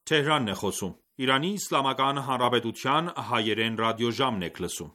Թեհրանն է խոսում։ Իրանի Իսլամական Հանրապետության հայերեն ռադիոժամն եք լսում։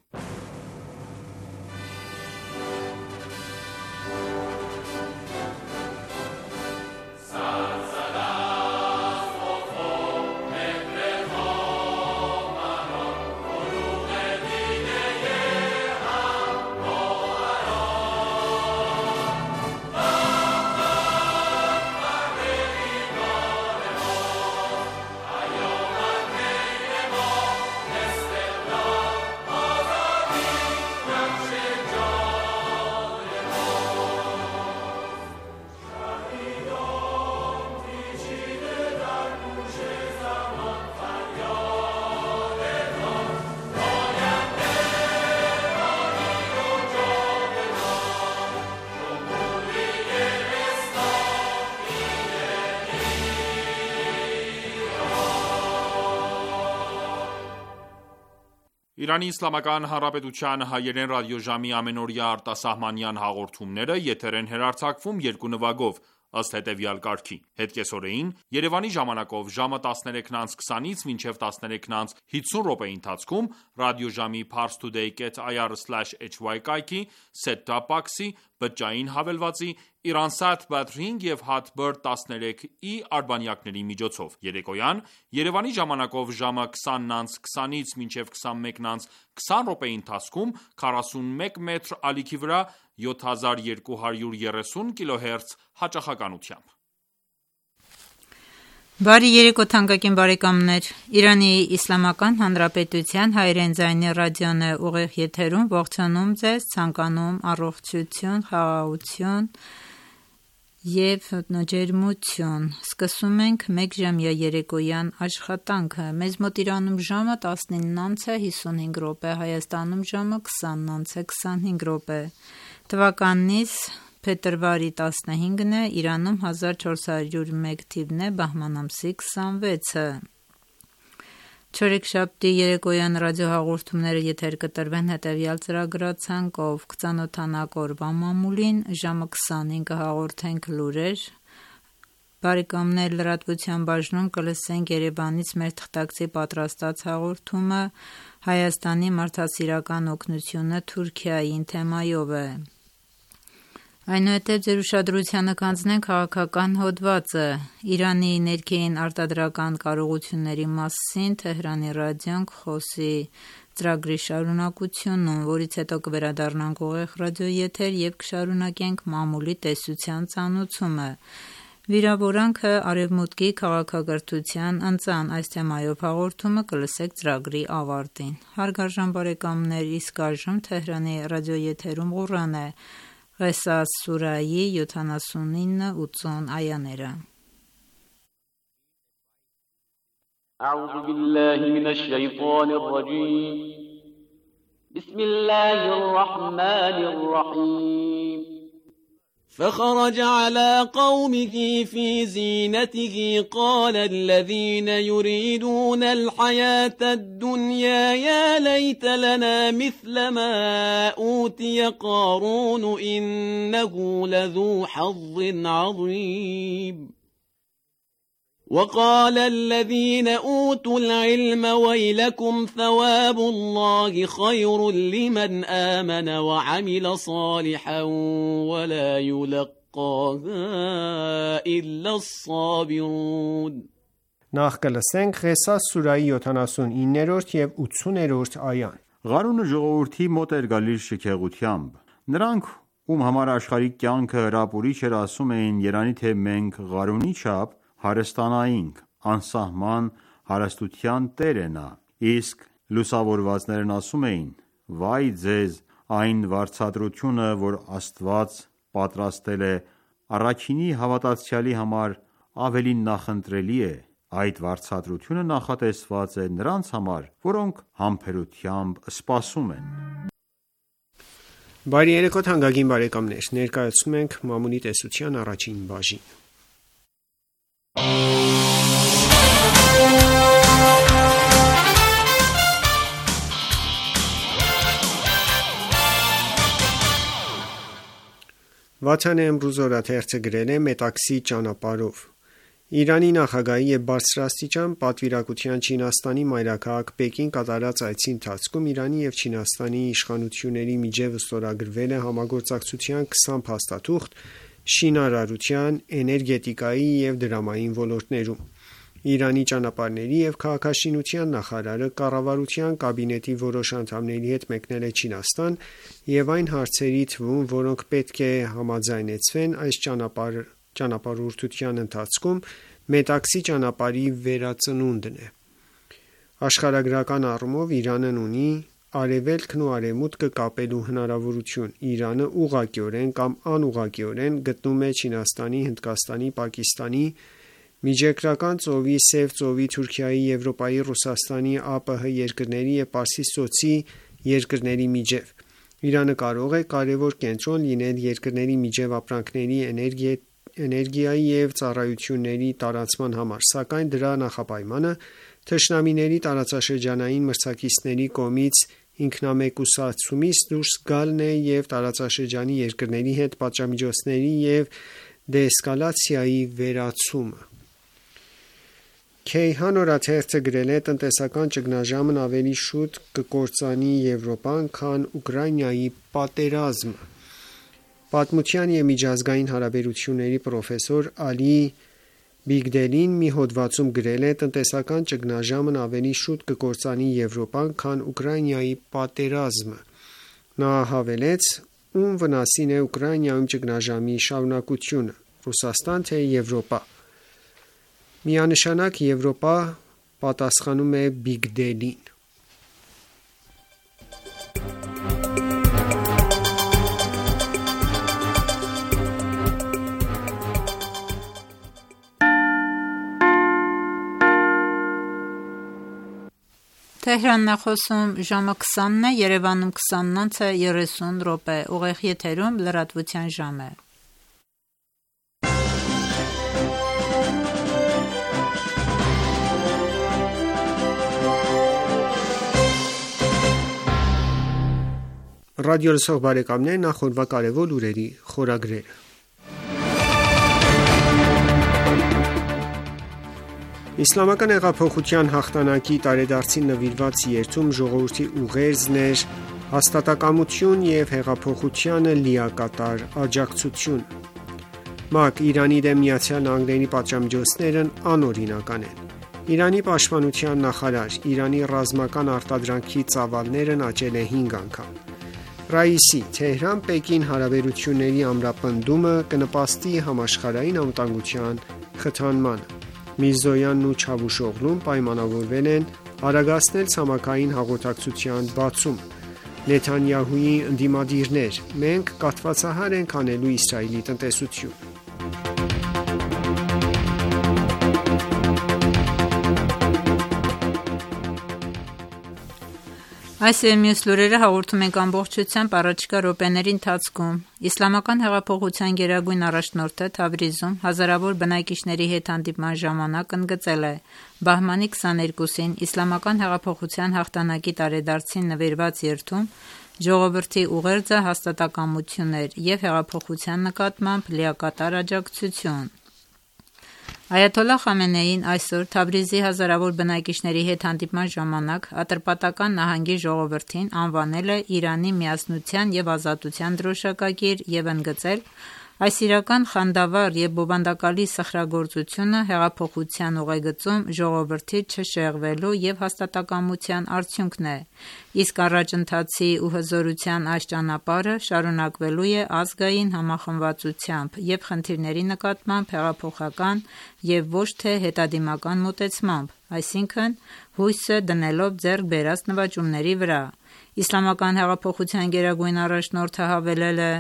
Իրանի Իսլամական Հանրապետության հայերեն ռադիոժամի ամենօրյա արտասահմանյան հաղորդումները եթեր են հեռարձակվում երկու նվագով, ըստ հետևյալ կարգի: Հետկեսօրեին Երևանի ժամանակով ժամը 13:20-ից մինչև 13:50 րոպեի ընթացքում ռադիոժամի parstoday.ir/hy կայքի, set-top box-ի, բջջային հավելվածի, Iransat Batring և Hatbird 13i արբանյակների միջոցով: Երեկոյան Երևանի ժամանակով ժամը 20:20-ից մինչև 21:20 րոպեի ընթացքում 41 մետր ալիքի վրա 7230 kHz հաճախականությամբ: Բարի երեկո թանկագին բարեկամներ: Իրանի Իսլամական Հանրապետության հայերեն ձայնի ռադիոն է ուղիղ եթերում, ողջունում ձեզ, ցանկանում առողջություն, խաղաղություն և ջերմություն: Սկսում ենք մեկ ժամյա երեկոյան աշխատանքը: Մեզ մոտ Իրանում ժամը 19:55 րոպե, Հայաստանում ժամը 20:25 րոպե: Թվականիս փետրվարի 15-ն է, Իրանում 1401 թիվն է, բահման ամսի 26-ը: Չորեքշաբթի երեկոյան ռադիոհաղորդումները եթեր կտրվեն հետևյալ ծրագրացանկով: Կծանոթանաք օրվա մամուլին, ժամը 20-ին կհաղորդենք լուրեր, լրատվության բաժնում կլսենք Երևանից մեր թղթակցի պատրաստած հաղորդումը Հայաստանի մարդասիրական օգնությունը Թուրքիային թեմայով է: Այնուհետև ձեր ուշադրությանը կհանձնենք քաղաքական հոդվածը: Իրանի ներքին արտադրական կարողությունների մասին Թեհրանի ռադիոն կխոսի ծրագրի շարունակությունում, որից հետո կվերադառնանք ուղիղ ռադիոեթեր և կշարունակենք մամուլի տեսության ծանոթումը: Վիրավորանքը Արևմուտքի քաղաքակրթության ընծան: Այս թեմայով հաղորդումը կլսեք ծրագրի ավարտին: Հարգարժան բարեկամներ, իսկ այժմ Թեհրանի ռադիոեթերում Ղուրան է: Ղեսաս սուրահի 79-80 այաներ: فخرج على قومه في زينته قال الذين يريدون الحياة الدنيا يا ليت لنا مثل ما أوتي قارون إنه لذو حظ عظيم وقال الذين أوتوا العلم ويلكم ثواب الله خير لمن آمن وعمل صالحا ولا يلقاها إلا الصابرون Նախ կլսենք Ղեսաս սուրահի 79-րդ և 80-րդ այան: Ղարունը ժողովրդի մոտ էր գալիս շքեղությամբ: Նրանք, ում համար աշխարհիկ կյանքը հրապուրիչ էր, ասում էին, երանի թե մենք Ղարունի չափ հարստանայինք: Անսահման հարստության տեր է նա: Իսկ լուսավորվածներն ասում էին. Վայ ձեզ այն վարձատրությունը, որ Աստված պատրաստել է առաքինի հավատացյալի համար, ավելի նախընտրելի է: Այդ վարձատրությունը նախատեսված է նրանց համար, որոնք համբերությամբ սպասում են: Բարի երեկո թանկագին բարեկամներ: Ներկայացնում ենք մամուլի տեսության առաջին բաժինը: Վաթան Էմրուզ օրաթերթը գրել է Մետաքսի ճանապարհով: Իրանի նախագահի եւ բարձրաստիճան պատվիրակության Չինաստանի մայրաքաղաք Պեկին կատարած այցի ընթացքում Իրանի եւ Չինաստանի իշխանությունների միջև ստորագրվել է համագործակցության 20 փաստաթուղթ շինարարության, էներգետիկայի եւ դրամային ոլորտներում։ Իրանի ճանապարհների եւ քաղաքաշինության նախարարը կառավարության կաբինետի որոշ անդամների հետ մեկնել է Չինաստան եւ այն հարցերի թվում, որոնք պետք է համաձայնեցվեն այս ճանապարհորդության ընթացքում, Մետաքսի ճանապարհի վերածնունդն է։ Աշխարհագրական առումով Իրանն ունի Արևելքն ու Արևմուտքը կապելու հնարավորություն։ Իրանը ուղղակիորեն կամ անուղղակիորեն գտնում է Չինաստանի, Հնդկաստանի, Պակիստանի, Միջերկրական ծովի, Սև ծովի, Թուրքիայի, Եվրոպայի, Ռուսաստանի, ԱՊՀ երկրների եւ Պարսից ծոցի երկրների միջև։ Իրանը կարող է կարևոր կենտրոն լինել երկրների միջև ապրանքների, էներգիայի եւ ծառայությունների տարանցման համար, սակայն դրա նախապայմանը թշնամիների տարածաշրջանային մրցակիցների կողմից ինքնամեկուսացումից դուրս գալն է եւ տարածաշրջանի երկրների հետ պատժամիջոցների եւ դեէսկալացիայի վերացումը։ Քեյհան օրաթերթը գրել է. տնտեսական ճգնաժամն ավելի շուտ կկործանի Եվրոպան, քան Ուկրաինայի պատերազմը։ Պատմության եւ միջազգային հարաբերությունների պրոֆեսոր Ալի Բիգդելին մի հոդվածում գրել է. տնտեսական ճգնաժամն ավելի շուտ կկործանի Եվրոպան, քան Ուկրաինայի պատերազմը։ Նա հավելեց. ում վնասին է Ուկրաինայում ճգնաժամի շարունակությունը՝ Ռուսաստան թե Եվրոպա։ Միանշանակ Եվրոպա, պատասխանում է Բիգդելին։ Թեհրանն է խոսում ժամը 20-ն է, Երևանում 20:30 ուղիղ եթերում լրատվության ժամ է։ Ռադիո լսող բարեկամներ, նախորդ կարևոր լուրերի խորագրերը։ Իսլամական հեղափոխության հաղթանակի տարեդարձին նվիրված երթում ժողովրդի ուղերձն էր հաստատակամություն եւ հեղափոխությանը լիակատար աջակցություն։ ՄԱԿ Իրանի դեմ ԱՄՆ-ի պատժամիջոցներն անօրինական են։ Իրանի պաշտպանության նախարար Իրանի ռազմական արտադրանքի ծավալներն աճել է 5 անգամ։ Ռաիսի Թեհրան-Պեկին հարաբերությունների ամրապնդումը կնպաստի համաշխարհային անվտանգության խթանմանը։ Միրզոյանն ու Չավուշօղլուն պայմանավորվել են արագացնել ցամաքային հաղորդակցության բացումը։ Նեթանյահուի ընդդիմադիրներ. մենք կաթվածահար ենք անելու Իսրայելի տնտեսություն։ Այս եւ մյուս լուրերը հաղորդում ենք ամբողջությամբ առաջիկա րոպեների ընթացքում։ Իսլամական հեղափոխության գերագույն առաջնորդը Թավրիզում հազարավոր բնակիչների հետ հանդիպման ժամանակ ընդգծել է բահմանի 22-ին Իսլամական հեղափոխության հաղթանակի տարեդարձին նվիրված երթում ժողովրդի ուղերձը հաստատակամություն էր եւ հեղափոխության նկատմամբ լիակատար աջակցություն։ Այաթոլլահ Խամենեին այսօր Թավրիզի հազարավոր բնակիչների հետ հանդիպման ժամանակ Ատրպատական նահանգի ժողովրդին անվանել է Իրանի միասնության եւ ազատության դրոշակակիր եւ ընդգծել այս իրական խանդավառ եւ բովանդակալի սխրագործությունը հեղափոխության ուղեգծում ժողովրդի չշեղվելու եւ հաստատակամության արդյունքն է, իսկ առաջընթացի ու հզորության այս ճանապարհը շարունակվելու է ազգային համախմբվածությամբ եւ խնդիրների նկատմամբ հեղափոխական եւ ոչ թե հետադիմական մոտեցմամբ, այսինքն հույսը դնելով ձեռք բերած նվաճումների վրա։ Իսլամական հեղափոխության գերագույն առաջնորդը հավելել է.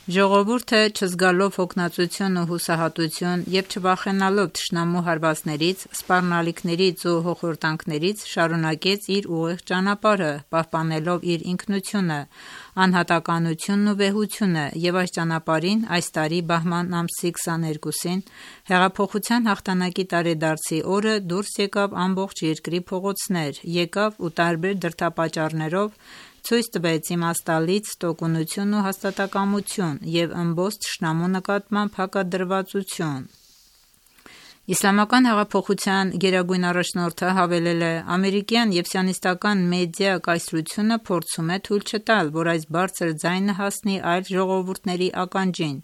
Ժողովուրդը չզգալով հոգնածություն ու հուսահատություն եւ չվախենալով թշնամու հարվածներից, սպառնալիքներից ու հոխորտանքներից շարունակեց իր ուղիղ ճանապարհը, պահպանելով իր ինքնությունը, անհատականությունն ու վեհությունը եւ այս ճանապարհին այս տարի բահման ամսի 22-ին հեղափոխության հաղթանակի տարեդարձի օրը դուրս եկավ ամբողջ երկրի փողոցներ, եկավ ու տարբեր դրդապատճառներով ցույց տվեց իմաստալից տոկունություն ու հաստատակամություն եւ ըմբոստ թշնամու նկատմամբ հակադրվածություն։ Իսլամական հեղափոխության գերագույն առաջնորդը հավելել է. ամերիկյան և սիոնիստական մեդիա կայսրությունը փորձում է թույլ չտալ, որ այս բարձր ձայնը հասնի այլ ժողովուրդների ականջին,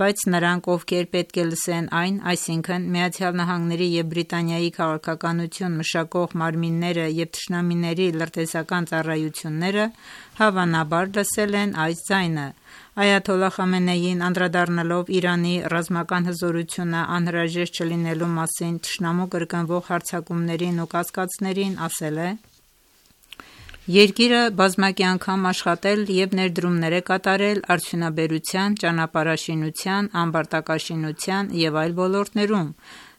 բայց նրանք, ովքեր պետք է լսեն այն, այսինքն ԱՄՆ-ի և Բրիտանիայի քաղաքականություն մշակող մարմինները և թշնամիների լրտեսական ծառայությունները, հավանաբար լսել են այս ձայնը։ Այաթոլլահ Խամենեին, անդրադառնալով Իրանի ռազմական հզորությունը անհրաժեշտ չլինելու մասին թշնամու կրկնվող հարձակումներին ու կասկածներին, ասել է. Երկիրը բազմակի անգամ աշխատել և ներդրումներ է կատարել արդյունաբերության, ճանապարհաշինության, ամբարտակաշինության և այլ ոլորտներում,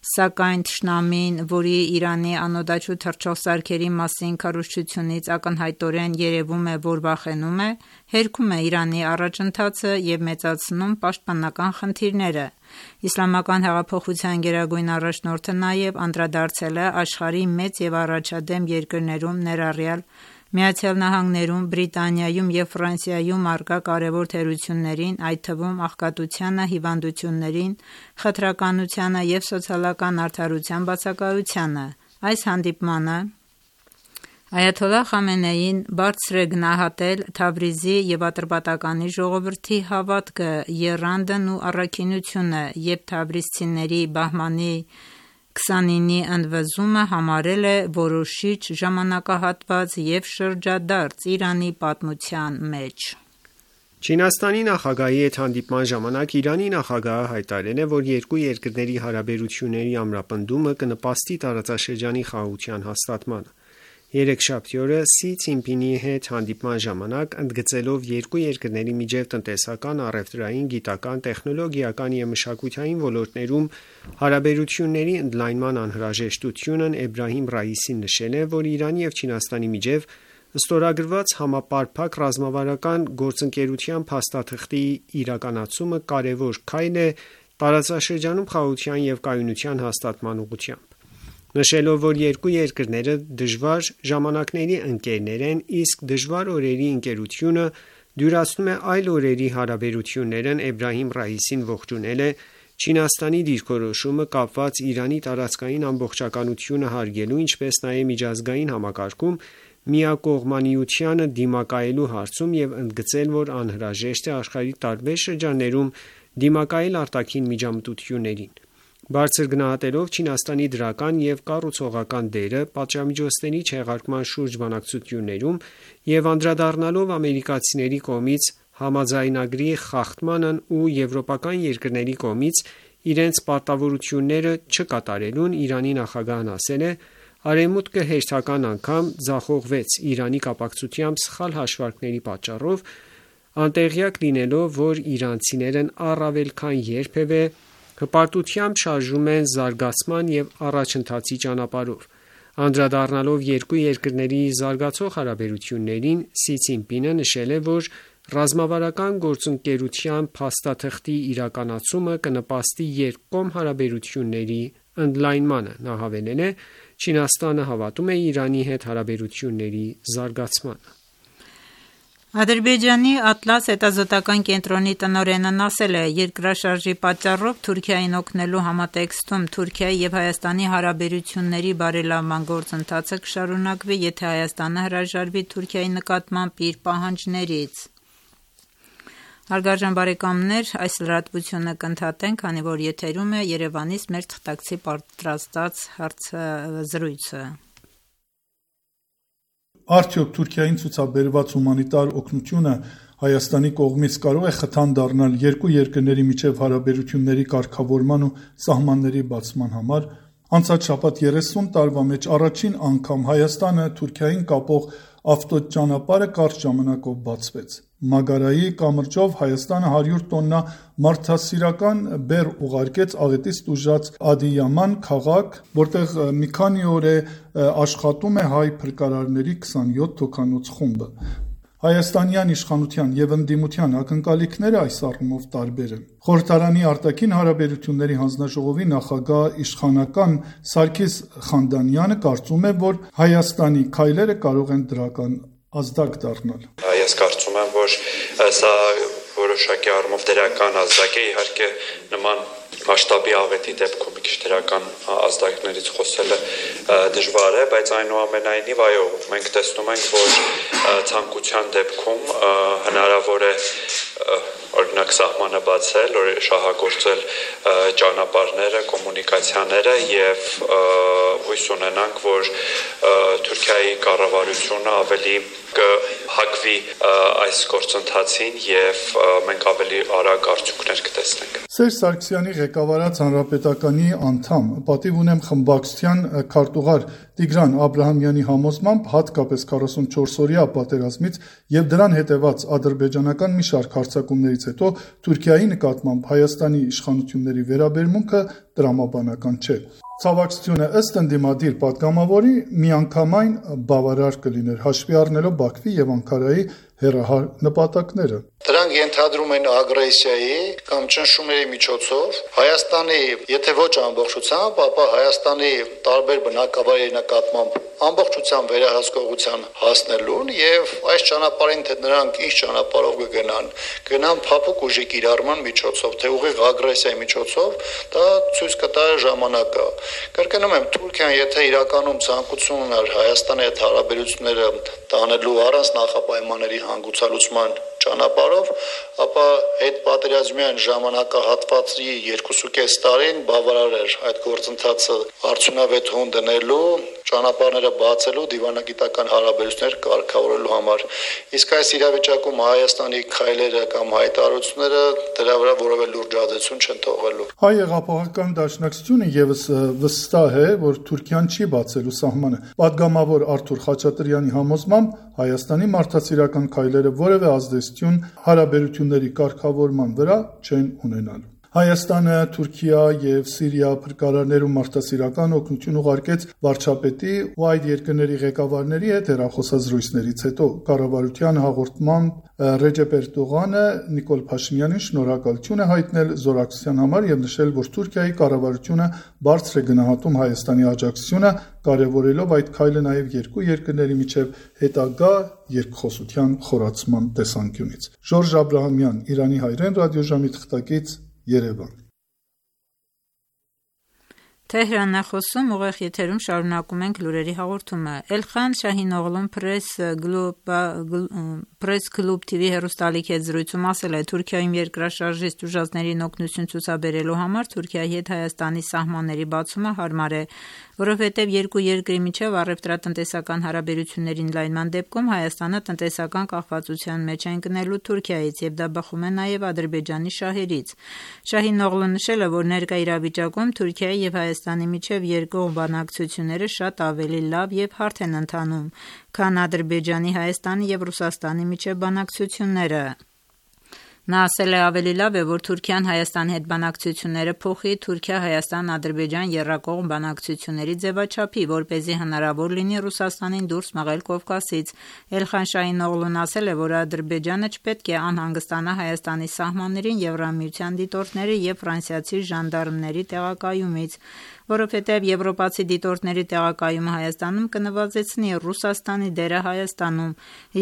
սակայն թշնամին, որի Իրանի անօդաչու թռչող սարքերի մասին քարոզչությունից ակնհայտորեն երևում է, որ վախենում է, հերքում է Իրանի առաջընթացը և մեծացնում պաշտպանական խնդիրները։ Իսլամական հեղափոխության գերագույն առաջնորդը նաև անդրադարձել է աշխարհի մեծ և առաջադեմ երկրներում, ներառյալ ԱՄՆ-ում, Բրիտանիայում և Ֆրանսիայում առկա կարևոր թերություններին, այդ թվում աղքատությանը, հիվանդություններին, խտրականությանը և սոցիալական արդարության բացակայությանը։ Այս հանդիպմանը այաթոլլահ Խամենեին բարձր է գնահատել Թավրիզի և Ատրպատականի ժողովրդի հավատքը, եռանդն ու առաքինությունը և թավրիզցիների Բահմանի 29-ի ընդվզումը համարել է որոշիչ ժամանակահատված և շրջադարձ Իրանի պատմության մեջ։ Չինաստանի նախագահի հետ հանդիպման ժամանակ Իրանի նախագահը հայտարարել է, որ երկու երկրների հարաբերությունների ամրապնդումը կնպաստի տարածաշրջանի խաղաղության հաստատմանը։ Երեքշաբթի օրը Սի Ցինփինի հետ հանդիպման ժամանակ, ընդգծելով երկու երկրների միջև տնտեսական, առևտրային, գիտական, տեխնոլոգիական և մշակութային ոլորտներում հարաբերությունների ընդլայնման անհրաժեշտությունն, Էբրահիմ Ռայիսին նշել է, որ Իրանի և Չինաստանի միջև ստորագրված համապարփակ ռազմավարական գործընկերության փաստաթղթի իրականացումը կարևոր քայլ է տարածաշրջանում խաղաղության և կայունության հաստատման ուղղությամբ։ Նշելով, որ երկու երկրները դժվար ժամանակների ընկերներ են, իսկ դժվար օրերի ընկերությունը դյուրացնում է այլ օրերի հարաբերություններն, Էբրահիմ Ռայիսին ողջունել է Չինաստանի դիրքորոշումը կապված Իրանի տարածքային ամբողջականությունը հարգելու, ինչպես նաև միջազգային համակարգում միակողմանիությանը դիմակայելու հարցում և ընդգծել, որ անհրաժեշտ է աշխարհի տարբեր շրջաններում դիմակայել արտաքին միջամտություններին։ Բարձր գնահատելով Չինաստանի դրական և կառուցողական դերը պատժամիջոցների չեղարկման շուրջ բանակցություններում և անդրադառնալով ամերիկացիների կողմից համաձայնագրի խախտմանն ու եվրոպական երկրների կողմից իրենց պարտավորությունները չկատարելուն, Իրանի նախագահն ասել է. «Արևմուտքը հերթական անգամ ձախողվեց Իրանի կապակցությամբ սխալ հաշվարկների պատճառով, անտեղյակ լինելով, որ իրանցիներն առավել քան երբևէ հպարտությամբ շարժվում են զարգացման և առաջընթացի ճանապարհով»։ Անդրադառնալով երկու երկրների զարգացող հարաբերություններին, Սի Ցինփինը նշել է, որ ռազմավարական գործընկերության փաստաթղթի իրականացումը կնպաստի երկկողմ հարաբերությունների ընդլայնմանը։ Նա հավելել է. «Չինաստանը հավատում է Իրանի հետ հարաբերությունների զարգացմանը»։ Ադրբեջանի Ատլաս հետազոտական կենտրոնի տնօրենն ասել է. երկրաշարժի պատճառով Թուրքիային օգնելու համատեքստում Թուրքիայի և Հայաստանի հարաբերությունների բարելավման գործընթացը կշարունակվի, եթե Հայաստանը հրաժարվի Թուրքիայի նկատմամբ իր պահանջներից։ Հարգարժան բարեկամներ, այս լրատվությունը կընդհատենք, քանի որ եթերում է Երևանից մեր թղթակցի պատրաստած հարցազրույցը։ Արդյոք Թուրքիային ցուցաբերված հումանիտար օգնությունը Հայաստանի կողմից կարող է խթան դառնալ երկու երկրների միջև հարաբերությունների կարգավորման ու սահմանների բացման համար։ Անցած շաբաթ 30 տարվա մեջ առաջին անգամ Հայաստանը Թուրքիային կապող ավտոճանապարհը կարճ ժամանակով բացվեց։ Մագարայի կամրջով Հայաստանը 100 տոննա մարդասիրական բեռ ուղարկեց աղետից տուժած Ադիյաման քաղաք, որտեղ մի քանի օր է աշխատում է հայ փրկարարների 27 հոգանոց խումբը։ Հայաստանյան իշխանության և ընդդիմության ակնկալիքները այս առումով տարբեր են։ Խորհրդարանի արտաքին հարաբերությունների հանձնաժողովի նախագահ իշխանական Սարգիս Խանդանյանը կարծում է, որ Հայաստանի քայլերը կարող են դրական ազդակ դառնալ։ Ես կարծում եմ, որ սա որոշակի առումով դրական ազդակ է, իհարկե նման Մասշտաբի աղետի դեպքում մի քիչ դրական ազդակներից խոսելը դժվար է, բայց այնուամենայնիվ այո, մենք տեսնում ենք, որ ցանկության դեպքում հնարավոր է օրինակ սահմանը բացել, շահագործել ճանապարհները, կոմունիկացիաները եւ հույս ունենանք, որ Թուրքիայի կառավարությունը ավելի կհակվի այս գործընթացին եւ մենք ավելի արագ արդյունքներ կտեսնենք։ Սերժ Սարգսյանի ղեկավարած հանրապետականի անդամ, պատիվ ունեմ խմբակցության քարտուղար Տիգրան Աբրահամյանի համոզմամբ հատկապես 44-օրյա պատերազմից եւ դրան հետեւած ադրբեջանական մի շարք հարձակումներից հետո Թուրքիայի նկատմամբ Հայաստանի իշխանությունների վերաբերմունքը տրամաբանական չէ։ Ցավակցությունը ըստ ընդդիմադիր պատգամավորի միանգամայն բավարար կլիներ, հաշվի առնելով Բաքվի եւ Անկարայի հեռահար նպատակները։ Դրանք ենթադրում են ագրեսիայի կամ ճնշումների միջոցով Հայաստանի, եթե ոչ ամբողջությամբ, ապա Հայաստանի տարբեր բնակավայրերի նկատմամբ ամբողջությամբ վերահսկողության հասնելուն եւ այս ճանապարհին թե նրանք ինչ ճանապարհով կգնան փափուկ ուժի կիրառման միջոցով, թե ուղիղ ագրեսիայի միջոցով, դա ցույց կտա ժամանակը։ Կրկնում եմ, Թուրքիան եթե իրականում ցանկություն ուներ Հայաստանի հետ հարաբերությունները տանելու առանց նախապայմանների հանգուցալուծման ճանապարհով, ապա այդ պատերազմյան ժամանակահատվածի 2.5 տարին բավարար էր այդ գործընթացը արդյունավետ հոն դնելու, ճանապարհները բացելու, դիվանագիտական հարաբերություններ կարգավորելու համար։ Իսկ այս իրավիճակում Հայաստանի քայլերը կամ հայտարարությունները դրա վրա որևէ լուրջ ազդեցություն չեն թողելու։ Հայ հեղափոխական դաշնակցությունը եւս վստահ է, որ Թուրքիան չի բացելու սահմանը։ Պատգամավոր Արթուր Խաչատրյանի համոզմամբ Հայաստանի մարդասիրական քայլերը որևէ ազդեցություն հարաբերությունների կարգավորման վրա չեն ունենալու։ Հայաստանը, Թուրքիա եւ Սիրիա փրկարարներում մարդասիրական օգնություն ուղարկեց վարչապետի ու այդ երկրների ղեկավարների հետ հեռախոսազրույցներից հետո կառավարության հաղորդմամբ Ռեջեփ Էրդողանը Նիկոլ Փաշինյանին շնորհակալություն է հայտնել զորակցության համար եւ նշել, որ Թուրքիայի կառավարությունը բարձր է գնահատում Հայաստանի աջակցությունը, կարևորելով այդ քայլը նաեւ երկու երկրների միջև հետագա երկխոսության խորացման տեսանկյունից։ Ժորժ Աբրահամյան, Իրանի հայրեն ռադիոժամի թղթակից, Երևան։ Թեհրանն է խոսում, ուղիղ եթերում շարունակում ենք լուրերի հաղորդումը։ Էլխան Շահինօղլուն Press Club TV հեռուստալիքի հետ զրույցում ասել է, Թուրքիայում երկրաշարժիստ ուժածներին օգնություն ցուցաբերելու համար Թուրքիայի հետ Հայաստանի սահմանների բացումը հարմար է, որովհետև երկու երկրի միջև առևտրատնտեսական հարաբերությունների ընդլայնման դեպքում Հայաստանը տնտեսական կախվածության մեջ է ընկնելու Թուրքիայից եւ դա բխում է նաեւ Ադրբեջանի շահերից։ Շահինօղլուն նշել է, որ ներկա իրավիճակում Թուրքիայի եւ Հայաստանի միջև երկկողմ բանակցությունները շատ ավելի լավ եւ հարթ են ընթանում, քան Ադրբեջանի, Հայաստանի եւ Ռուսաստանի միջև բանակցությունները։ Նա ասել է, ավելի լավ է, որ Թուրքիան Հայաստանի հետ բանակցությունները փոխի Թուրքիա-Հայաստան-Ադրբեջան եռակողմ բանակցությունների ձևաչափի, որպեսզի հնարավոր լինի Ռուսաստանին դուրս մղել Կովկասից։ Էլխան Շահինօղլուն ասել է, որ Ադրբեջանը չպետք է անհանգստանա Հայաստանի սահմաններին Եվրամիության դիտորդների եւ ֆրանսիացի ժանդարմների տեղակայումից, որովհետև եվրոպացի դիտորդների տեղակայումը Հայաստանում կնվազեցնի Ռուսաստանի դերը Հայաստանում,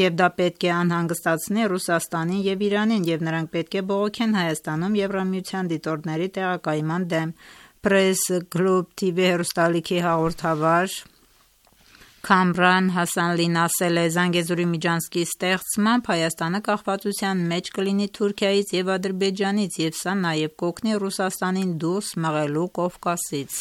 եւ դա պետք է անհանգստացնի Ռուսաստանին եւ Իրանին, եւ նրանք պետք է բողոքեն Հայաստանում Եվրամիության դիտորդների տեղակայման դեմ։ Press Club TV հեռուստալիքի հաղորդավար Քամրան Հասանլին ասել է, Զանգեզուրի միջանցքի ստեղծմամբ Հայաստանը կախվածության մեջ կլինի Թուրքիայից եւ Ադրբեջանից եւ սա նաեւ կօգնի Ռուսաստանին դուրս մղելու Կովկասից։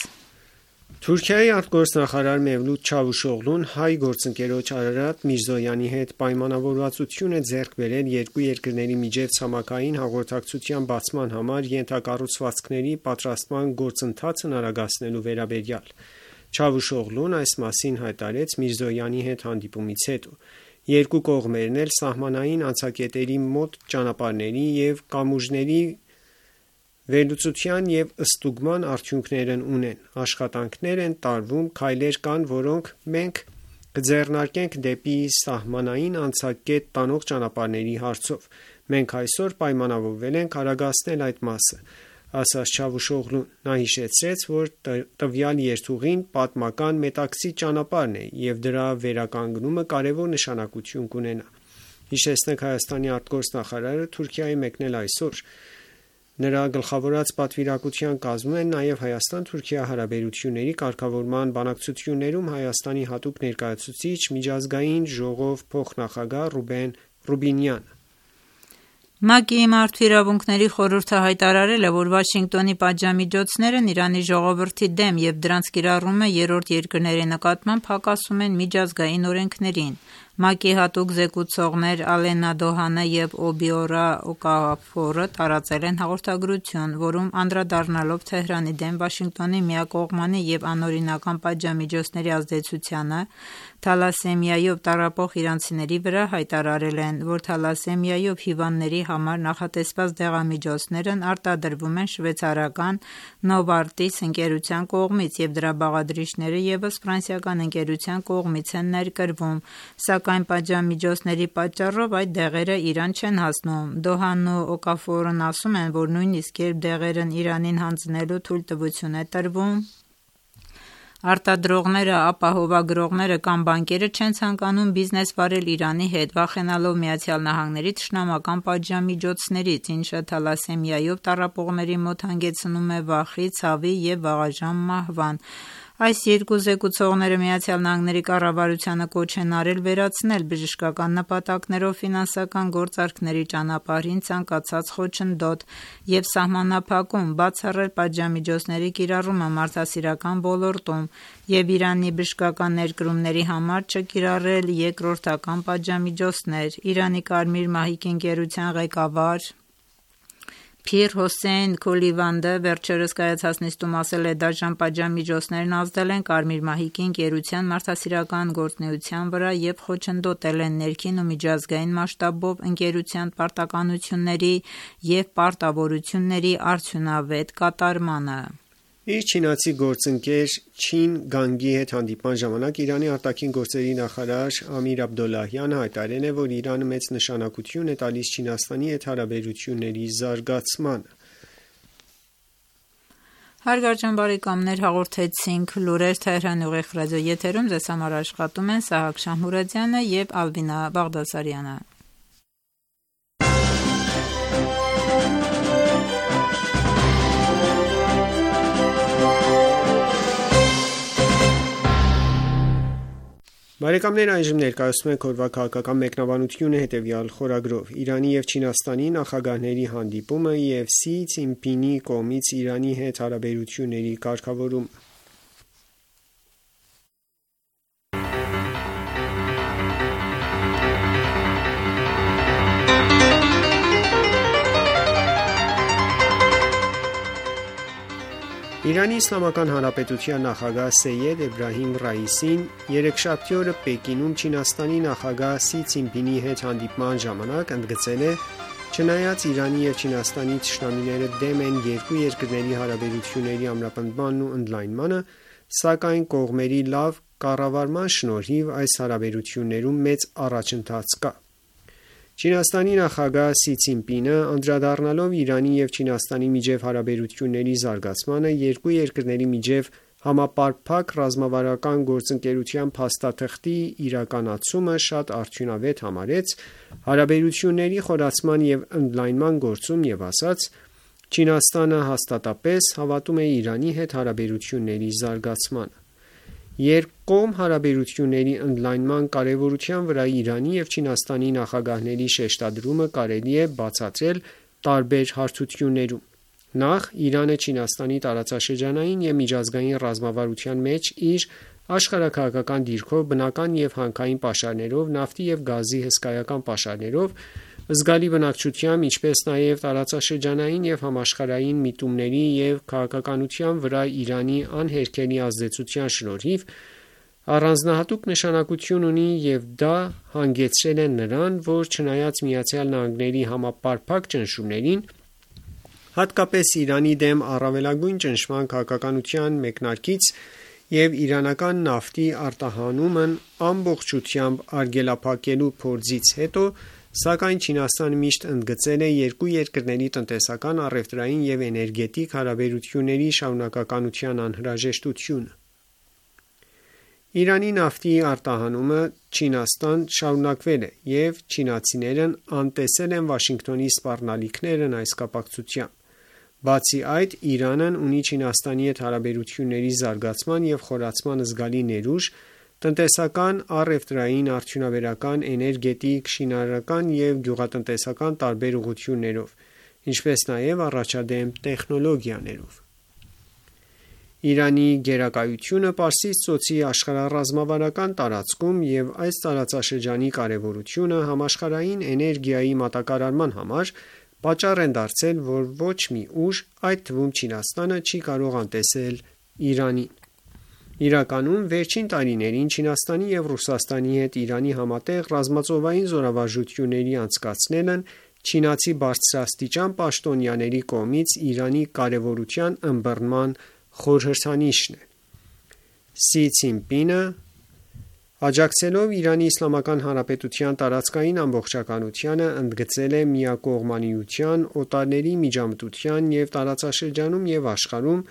Թուրքիայի արտգործնախարար Մևլութ Չավուշօղլուն հայ գործընկերոջ Արարատ Միրզոյանի հետ պայմանավորվածություն է ձեռք բերել երկու երկրների միջև ցամաքային հաղորդակցության բացման համար ենթակառուցվածքների պատրաստման գործընթացն արագացնելու վերաբերյալ։ Չավուշօղլուն այս մասին հայտարարեց Միրզոյանի հետ հանդիպումից հետո։ Երկու կողմերն էլ սահմանային անցակետերի մոտ ճանապարհների եւ կամուրջների վերլուծության եւ ըստուգման արդյունքներն ունեն։ Աշխատանքներ են տարվում, քայլեր կան, որոնք մենք կձեռնարկենք դեպի սահմանային անցակետ տանող ճանապարհների հարցով։ Մենք այսօր պայմանավորվել ենք արագացնել այդ մասը, ասաց Չավուշօղլուն։ Նա հիշեցրեց, որ տվյալ երթուղին պատմական մետաքսի ճանապարհն է եւ դրա վերականգնումը կարևոր նշանակություն կունենա։ Հիշեցնենք, Հայաստանի արտգործնախարարը Թուրքիայի մեկնել այսօր։ Նրա գլխավորած պատվիրակության կազմում են նաև Հայաստան-Թուրքիա հարաբերությունների կարգավորման բանակցություններում Հայաստանի հատուկ ներկայացուցիչ միջազգային ժողով փոխնախագահ Ռուբեն Ռուբինյանը։ ՄԱԿ-ի Մարդու իրավունքների խորհուրդը հայտարարել է, որ Վաշինգտոնի պատժամիջոցներն Իրանի ժողովրդի դեմ եւ դրանց կիրառումը երրորդ երկրների նկատմամբ հակասում են միջազգային օրենքներին։ ՄԱԿ-ի հատուկ զեկուցողներ Ալենա Դոհանը եւ Օբիորա Օկաֆորը տարածել են հաղորդագրություն, որում անդրադառնալով Թեհրանի դեմ Վաշինգտոնի միակողմանի եւ անօրինական պատժամիջոցների ազդեցությանը թալասեմիայով տառապող իրանցիների վրա հայտարարել են, որ թալասեմիայով հիվանդների համար նախատեսված դեղամիջոցներն արտադրվում են շվեյցարական Novartis ընկերության կողմից եւ դրա բաղադրիչները եւս ֆրանսիական ընկերության կողմից են ներկրվում, սակայն պատժամիջոցների պատճառով այդ դեղերը Իրան չեն հասնում։ Դոհանն ու Օկաֆորն ասում են, որ նույնիսկ երբ դեղերն Իրանին հանձնելու թույլտվություն է տրվում, արտադրողները, ապահովագրողները կամ բանկերը չեն ցանկանում բիզնես վարել Իրանի հետ, վախենալով ԱՄՆ-ի թշնամական պատժամիջոցներից, ինչը թալասեմիայով տառապողների մոտ հանգեցնում է վախի, ցավի եւ վաղաժամ մահվան։ Այս երկու զեկուցողները ԱՄՆ կառավարությանը կոչ են արել վերացնել բժշկական նպատակներով ֆինանսական գործարքների ճանապարհին ցանկացած խոչընդոտ եւ սահմանափակում, բացառել պատժամիջոցների կիրառումը մարդասիրական ոլորտում եւ Իրանի բժշկական ներկրումների համար չկիրառել երկրորդական պատժամիջոցներ։ Իրանի Կարմիր մահիկի ընկերության ղեկավար Փիր Հոսեյն Քոլիվանդը վերջերս կայացած նիստում ասել է, դաժան պատժամիջոցներն ազդել են Կարմիր մահիկի ընկերության մարդասիրական գործունեության վրա եւ խոչընդոտել են ներքին ու միջազգային մասշտաբով ընկերության պարտականությունների եւ պարտավորությունների արդյունավետ կատարմանը։ Իր չինացի գործընկեր Չին Գանգի հետ հանդիպման ժամանակ Իրանի արտաքին գործերի նախարար Ամիր Աբդոլլահյանը հայտարարել է, որ Իրանը մեծ նշանակություն է տալիս Չինաստանի հետ հարաբերությունների զարգացմանը։ Հարգարժան բարեկամներ, հաղորդեցինք լուրեր Թեհրանի ուղիղ ռադիո եթերում, ձեզ համար աշխատում են Սահակ Շահմուրադյանը եւ Ալբինա Բաղդասարյանը։ Բարեկամներ, այժմ ներկայացնում ենք օրվա քաղաքական մեկնաբանությունը հետևյալ խորագրով. Իրանի եւ Չինաստանի նախագահների հանդիպումը եւ Սի Ցինպինի կողմից Իրանի հետ հարաբերությունների կարգավորումը։ Իրանի Իսլամական Հանրապետության նախագահ Սեյեդ Էբրահիմ Ռայիսին երեքշաբթի օրը Պեկինում Չինաստանի նախագահ Սի Ցինպինի հետ հանդիպման ժամանակ ընդգծել է, չնայած Իրանի եւ Չինաստանի թշնամիները դեմ են երկու երկրների հարաբերությունների ամրապնդմանն ու ընդլայնմանը, սակայն կողմերի լավ կառավարման շնորհիվ այս հարաբերություններում մեծ առաջընթաց կա։ Չինաստանի նախագահ Սի Ցինպինը անդրադառնալով Իրանի եւ Չինաստանի միջև հարաբերությունների զարգացմանը երկու երկրների միջև համապարփակ ռազմավարական գործընկերության փաստաթղթի իրականացումը շատ արդյունավետ համարեց հարաբերությունների խորացման եւ ընդլայնման գործում եւ ասաց. Չինաստանը հաստատապես հավատում է Իրանի հետ հարաբերությունների զարգացմանը։ Երկկողմ հարաբերությունների ընդլայնման կարևորության վրա Իրանի եւ Չինաստանի նախագահների շեշտադրումը կարելի է բացատրել տարբեր հարթություններում։ Նախ, Իրանը Չինաստանի տարածաշրջանային եւ միջազգային ռազմավարության մեջ իր աշխարհաքաղաքական դիրքով, բնական եւ հանքային պաշարներով, նավթի եւ գազի հսկայական պաշարներով, զգալի բնակչությամբ, ինչպես նաև տարածաշրջանային եւ համաշխարհային միտումների եւ քաղաքականության վրա Իրանի անհերքելի ազդեցության շնորհիվ առանձնահատուկ նշանակություն ունի եւ դա հանգեցրել է նրան, որ չնայած ԱՄՆ-ի համապարփակ ճնշումներին, հատկապես Իրանի դեմ առավելագույն ճնշման քաղաքականության մեկնարկից եւ իրանական նավթի արտահանումն ամբողջությամբ արգելափակելու փորձից հետո, սակայն Չինաստանը միշտ ընդգծել է երկու երկրների տնտեսական, առևտրային եւ էներգետիկ հարաբերությունների շարունակականության անհրաժեշտությունը։ Իրանի նավթի արտահանումը Չինաստան շարունակվել է եւ չինացիներն անտեսել են Վաշինգտոնի սպառնալիքներն այս կապակցությամբ։ Բացի այդ, Իրանն ունի Չինաստանի հետ հարաբերությունների զարգացման և խորացման զգալի ներուժ տնտեսական, առևտրային, արդյունաբերական, էներգետիկ, շինարարական և գյուղատնտեսական տարբեր ուղղություններով, ինչպես նաև առաջադեմ տեխնոլոգիաներով։ Իրանի գերակայությունը Պարսից ծոցի աշխարհառազմավարական տարածքում և այս տարածաշրջանի կարևորությունը համաշխարհային էներգիայի մատակարարման համար պատճառ են դարձել, որ ոչ մի ուժ, այդ թվում Չինաստանը, չի կարող անտեսել Իրանին։ Իրականում, վերջին տարիներին Չինաստանի և Ռուսաստանի հետ Իրանի համատեղ ռազմածովային զորավարժությունների անցկացնելն չինացի բարձրաստիճան պաշտոնյաների կողմից Իրանի կարևորության ըմբռնման խորհրդանիշն է։ Սի Ցզինպինը, աջակցելով Իրանի Իսլամական Հանրապետության տարածքային ամբողջականությանը, ընդգծել է միակողմանիության, օտարների միջամտության և տարածաշրջանում և աշխարհում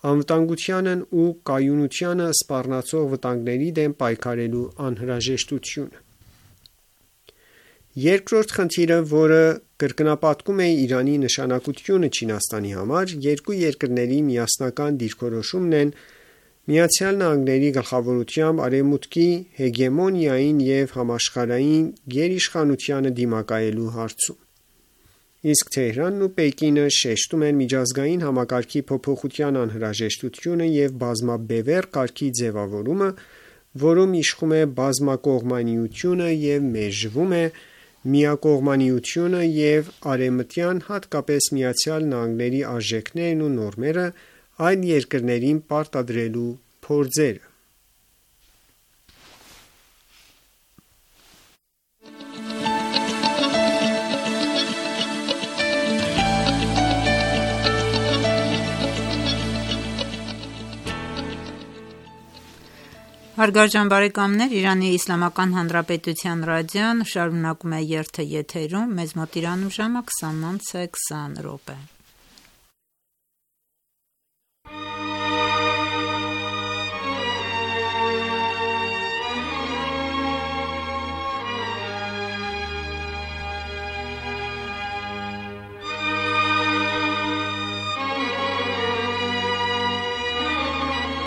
անվտանգությանն ու կայունությանը սպառնացող վտանգների դեմ պայքարելու անհրաժեշտությունը։ Երկրորդ խնդիրը, որը կրկնապատկում է Իրանի նշանակությունը Չինաստանի համար, երկու երկրների միասնական դիրքորոշումն են ԱՄՆ-ի գլխավորությամբ Արևմուտքի հեգեմոնիային և համաշխարհային գերիշխանությանը դիմակայելու հարցում։ Իսկ Թեհրանն ու Պեկինը շեշտում են միջազգային համակարգի փոփոխության անհրաժեշտությունը և բազմաբևեռ կարգի ձևավորումը, որում իշխում է բազմակողմանիությունը և մերժվում է միակողմանիությունը և արևմտյան, հատկապես ԱՄՆ-ի արժեքներն ու նորմերը այլ երկրներին պարտադրելու փորձերը։ Հարգարժան բարեկամներ, Իրանի Իսլամական Հանրապետության ռադիոն շարունակում է երթը եթերում, մեզ մոտ Իրանում ժամը 20:20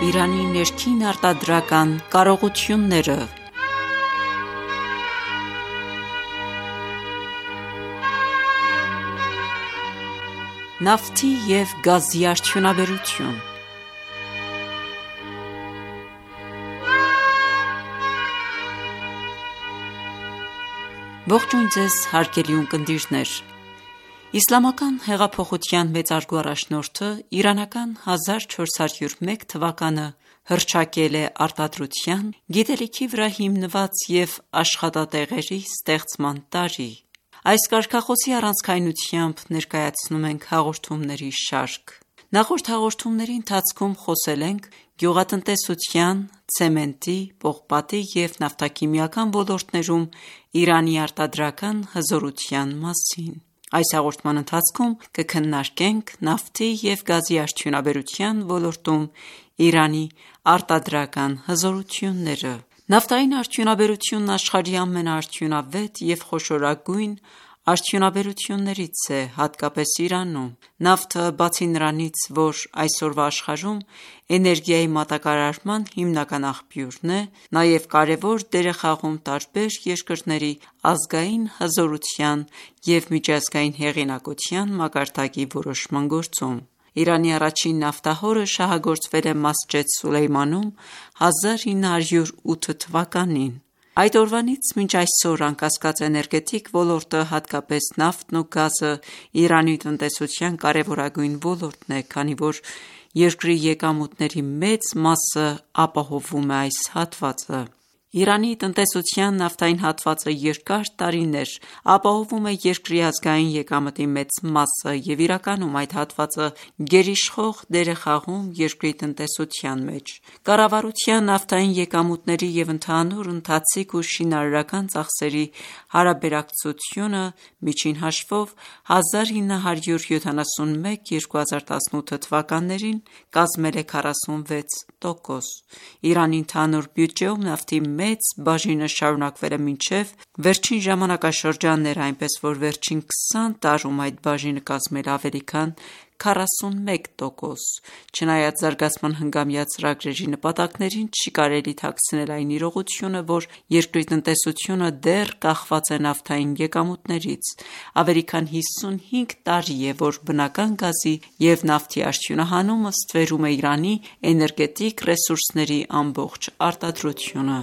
Իրանի ներքին արտադրական կարողությունները։ Նավթի և գազի արդյունաբերություն։ Ողջույն ձեզ հարգելի ունկնդիրներ։ Իսլամական հեղափոխության մեծարգո առաջնորդը իրանական 1401 թվականը հռչակել է արտադրության, գիտելիքի վրա հիմնված և աշխատատեղերի ստեղծման տարի։ Այս կարգախոսի առանցքայնությամբ ներկայացնում ենք հաղորդումների շարք։ Նախորդ հաղորդումների ընթացքում խոսել ենք գյուղատնտեսության, ցեմենտի, պողպատի և նավթաքիմիական ոլորտներում Իրանի արտադրական հզորության մասին։ Այս հաղորդման ընթացքում կքննարկենք նավթի և գազի արդյունաբերության ոլորտում Իրանի արտադրական հզորությունները։ Նավթային արդյունաբերությունն աշխարհի ամենաարդյունավետ և խոշորագույն արդյունաբերություններից է, հատկապես Իրանում։ Նավթը, բացի նրանից, որ այսօրվա աշխարհում էներգիայի մատակարարման հիմնական աղբյուրն է, նաև կարևոր դեր է խաղում տարբեր երկրների ազգային հզորության և միջազգային հեղինակության մակարդակի որոշման գործում։ Իրանի առաջին նավթահորը շահագործվել է Մասջեդ Սուլեյմանում 1908 թվականին։ Այդ օրվանից մինչ այսօր անկասկած էներգետիկ ոլորտը, հատկապես նավթն ու գազը, Իրանի տնտեսության կարևորագույն ոլորտն է, քանի որ երկրի եկամուտների մեծ մասը ապահովում է այս հատվածը։ Իրանի տնտեսության նավթային հատվածը երկար տարիներ ապահովում է երկրի ազգային եկամտի մեծ մասը և իրականում այդ հատվածը գերիշխող դեր է խաղում երկրի տնտեսության մեջ։ Կառավարության նավթային եկամուտների և ընդհանուր ընթացիկ ու շինարարական ծախսերի հարաբերակցությունը միջին հաշվով 1971-2018 թվականներին կազմել է 46%։ Իրանի ընդհանուր բյուջեում նավթի մեծ բաժինը շարունակվել է մինչև վերջին ժամանակաշրջանները, այնպես որ վերջին 20 տարում այդ բաժինը կազմել է ավելի քան 41%։ Չնայած զարգացման հնգամյա ծրագրերի նպատակներին, չի կարելի թաքցնել այն իրողությունը, որ երկրի տնտեսությունը դեռ կախված է նավթային եկամուտներից։ Ավելի քան 55 տարի է, որ բնական գազի և նավթի արդյունահանումը ստվերում է Իրանի էներգետիկ ռեսուրսների ամբողջ արտադրությունը։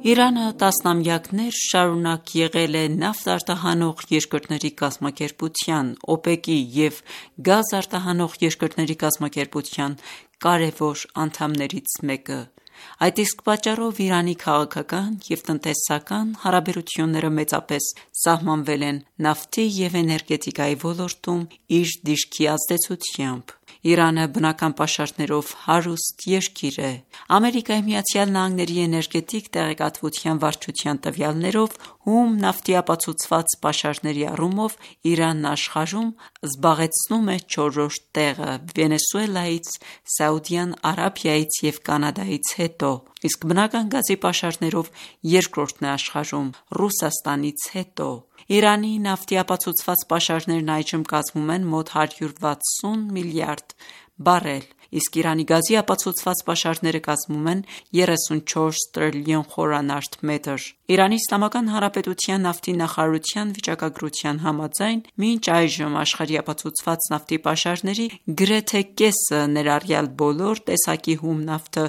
Իրանը տասնամյակներ շարունակ եղել է նավթ արտահանող երկրների կազմակերպության (ՕՊԵԿ)-ի և գազ արտահանող երկրների կազմակերպության կարևոր անդամներից մեկը։ Այդ իսկ պատճառով Իրանի քաղաքական և տնտեսական հարաբերությունները մեծապես սահմանվել են նավթի և էներգետիկայի ոլորտում իր դիրքի ազդեցությամբ։ Իրանը բնական պաշարներով հարուստ երկիր է։ ԱՄՆ-ի էներգետիկ տեղեկատվության վարչության տվյալներով, հում նավթի ապացուցված պաշարների առումով Իրանն աշխարհում զբաղեցնում է 4-րդ տեղը՝ Վենեսուելայից, Սաուդյան Արաբիայից և Կանադայից հետո, իսկ բնական գազի պաշարներով երկրորդն է աշխարհում՝ Ռուսաստանից հետո։ Իրանի նավթի ապացուցված պաշարներն այժմ կազմում են մոտ 160 միլիարդ բարել, իսկ Իրանի գազի ապացուցված պաշարները կազմում են 34 տրիլիոն խորանարդ մետր։ Իրանի Իսլամական Հանրապետության նավթի նախարարության վիճակագրության համաձայն, մինչ այժմ աշխարհի ապացուցված նավթի պաշարների գրեթե կեսը, ներառյալ բոլոր տեսակի հում նավթը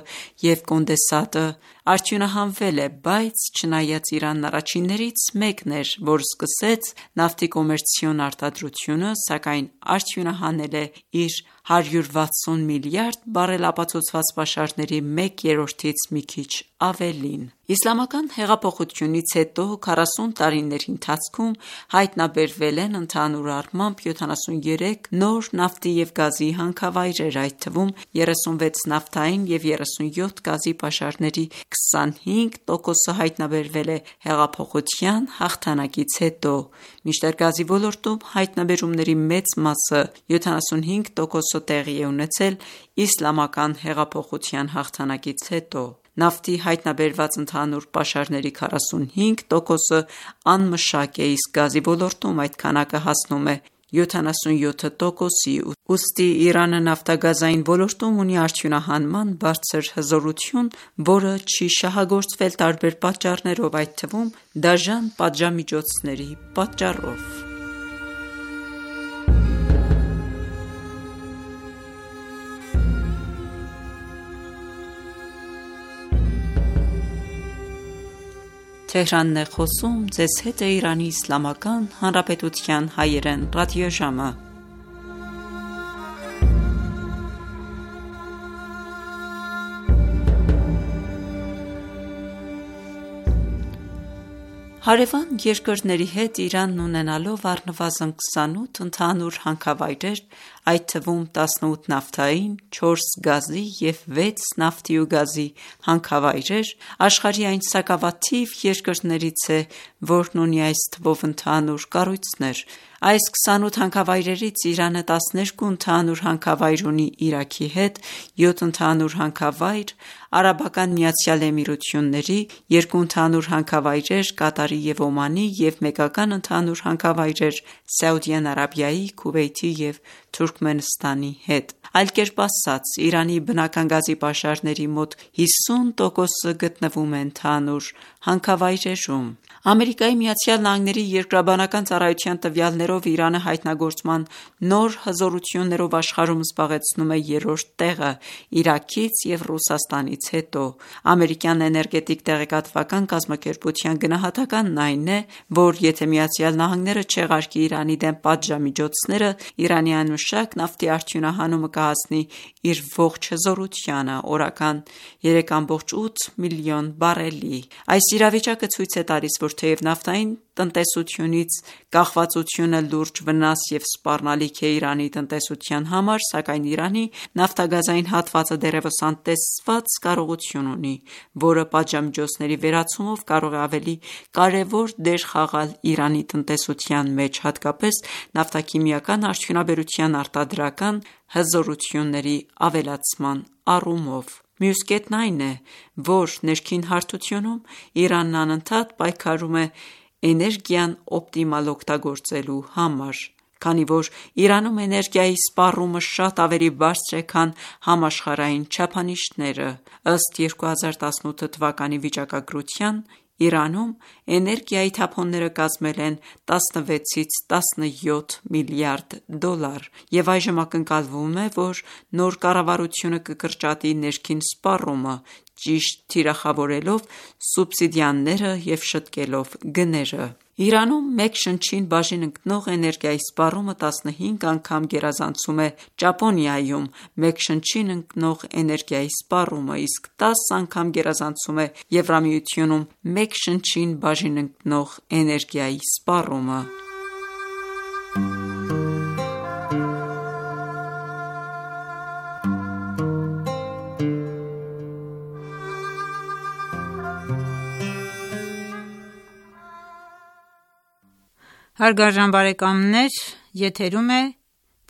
և կոնդենսատը, արդյունահանվել է, բայց չնայած Իրանն առաջիններից մեկն էր, որ սկսեց նավթի կոմերցիոն արտադրությունը, սակայն արդյունահանել է իր 160 միլիարդ բարել ապացուցված պաշարների 1/3-ից մի քիչ ավելին։ Իսլամական հեղափոխությունից հետո 40 տարիների ընթացքում հայտնաբերվել են ընդհանուր առմամբ 73 նոր նավթի և գազի հանքավայրեր, այդ թվում 36 նավթային և 37 գազի պաշարների 25%-ը հայտնաբերվել է հեղափոխության հաղթանակից հետո, մինչդեռ գազի ոլորտում հայտնաբերումների մեծ մասը (75%) տեղի է ունեցել իսլամական հեղափոխության հաղթանակից հետո։ Նավթի հայտնաբերված ընդհանուր պաշարների 45%-ը անմշակ է, իսկ գազի ոլորտում այդ քանակը հասնում է 77%-ի, ուստի Իրանը նավթագազային ոլորտում ունի արդյունահանման բարձր հզորություն, որը չի շահագործվել տարբեր պատճառներով, այդ թվում դաժան պատժամիջոցների պատճառով։ Հարևան երկրների հետ Իրանն ունենալով առնվազն 28 ընդհանուր հանքավայրեր, այդ թվում 18 նավթային, 4 գազի և 6 նավթի ու գազի հանքավայրեր, աշխարհի այն սակավաթիվ երկրներից է, որն ունի այս թվով ընդհանուր կառույցներ։ Այս 28 հանքավայրերից Իրանը 12 ընդհանուր հանքավայր ունի Իրաքի հետ, 7 ընդհանուր հանքավայր Արաբական Միացյալ Էմիրությունների, 2 ընդհանուր հանքավայրեր Կատարի և Օմանի և մեկական ընդհանուր հանքավայրեր Սաուդյան Արաբիայի, Քուվեյթի և Թուրքմենստանի հետ։ Այլ կերպ ասած, Իրանի բնական գազի պաշարների մոտ 50%-ը գտնվում է ընդհանուր հանքավայրերում։ ԱՄՆ-ի երկրաբանական ծառայության տվյալներով Իրանը հայտնագործման նոր հզորություններով աշխարհում զբաղեցնում է 3-րդ տեղը՝ Իրաքից և Ռուսաստանից հետո։ Ամերիկյան էներգետիկ տեղեկատվական կազմակերպության գնահատականն այն է, որ եթե ԱՄՆ-ը չեղարկի Իրանի դեմ պատժամիջոցները, Իրանի այն անմշակ նավթի արդյունահանումը կհասնի իր ողջ հզորությանը՝ օրական 3,8 միլիոն բարելի։ Այս իրավիճակը ցույց է տալիս, որ թեև նավթային տնտեսությունից կախվածությունը լուրջ վնաս և սպառնալիք է Իրանի տնտեսության համար, սակայն Իրանի նավթագազային հատվածը դեռևս անտեսված կարողություն ունի, որը պատժամիջոցների վերացումով կարող է ավելի կարևոր դեր խաղալ Իրանի տնտեսության մեջ, հատկապես նավթաքիմիական արդյունաբերության արտադրական հզորությունների ավելացման առումով։ Մյուս կետն այն է, որ ներքին հարթությունում Իրանն անընդհատ պայքարում է էներգիան օպտիմալ օգտագործելու համար, քանի որ Իրանում էներգիայի սպառումը շատ ավելի բարձր է, քան համաշխարհային չափանիշները։ Ըստ 2018 թվականի վիճակագրության, Իրանում էներգիայի թափոնները կազմել են 16-ից 17 միլիարդ դոլար, և այժմ ակնկալվում է, որ նոր կառավարությունը կկրճատի ներքին սպառումը՝ ճիշտ թիրախավորելով սուբսիդիաները և շտկելով գները։ Իրանում մեկ շնչին բաժին ընկնող էներգիայի սպառումը 15 անգամ գերազանցում է Ճապոնիայում մեկ շնչին ընկնող էներգիայի սպառումը, իսկ 10 անգամ գերազանցում է Եվրամիությունում մեկ շնչին բաժին ընկնող էներգիայի սպառումը։ Հարգարժան բարեկամներ, եթերում է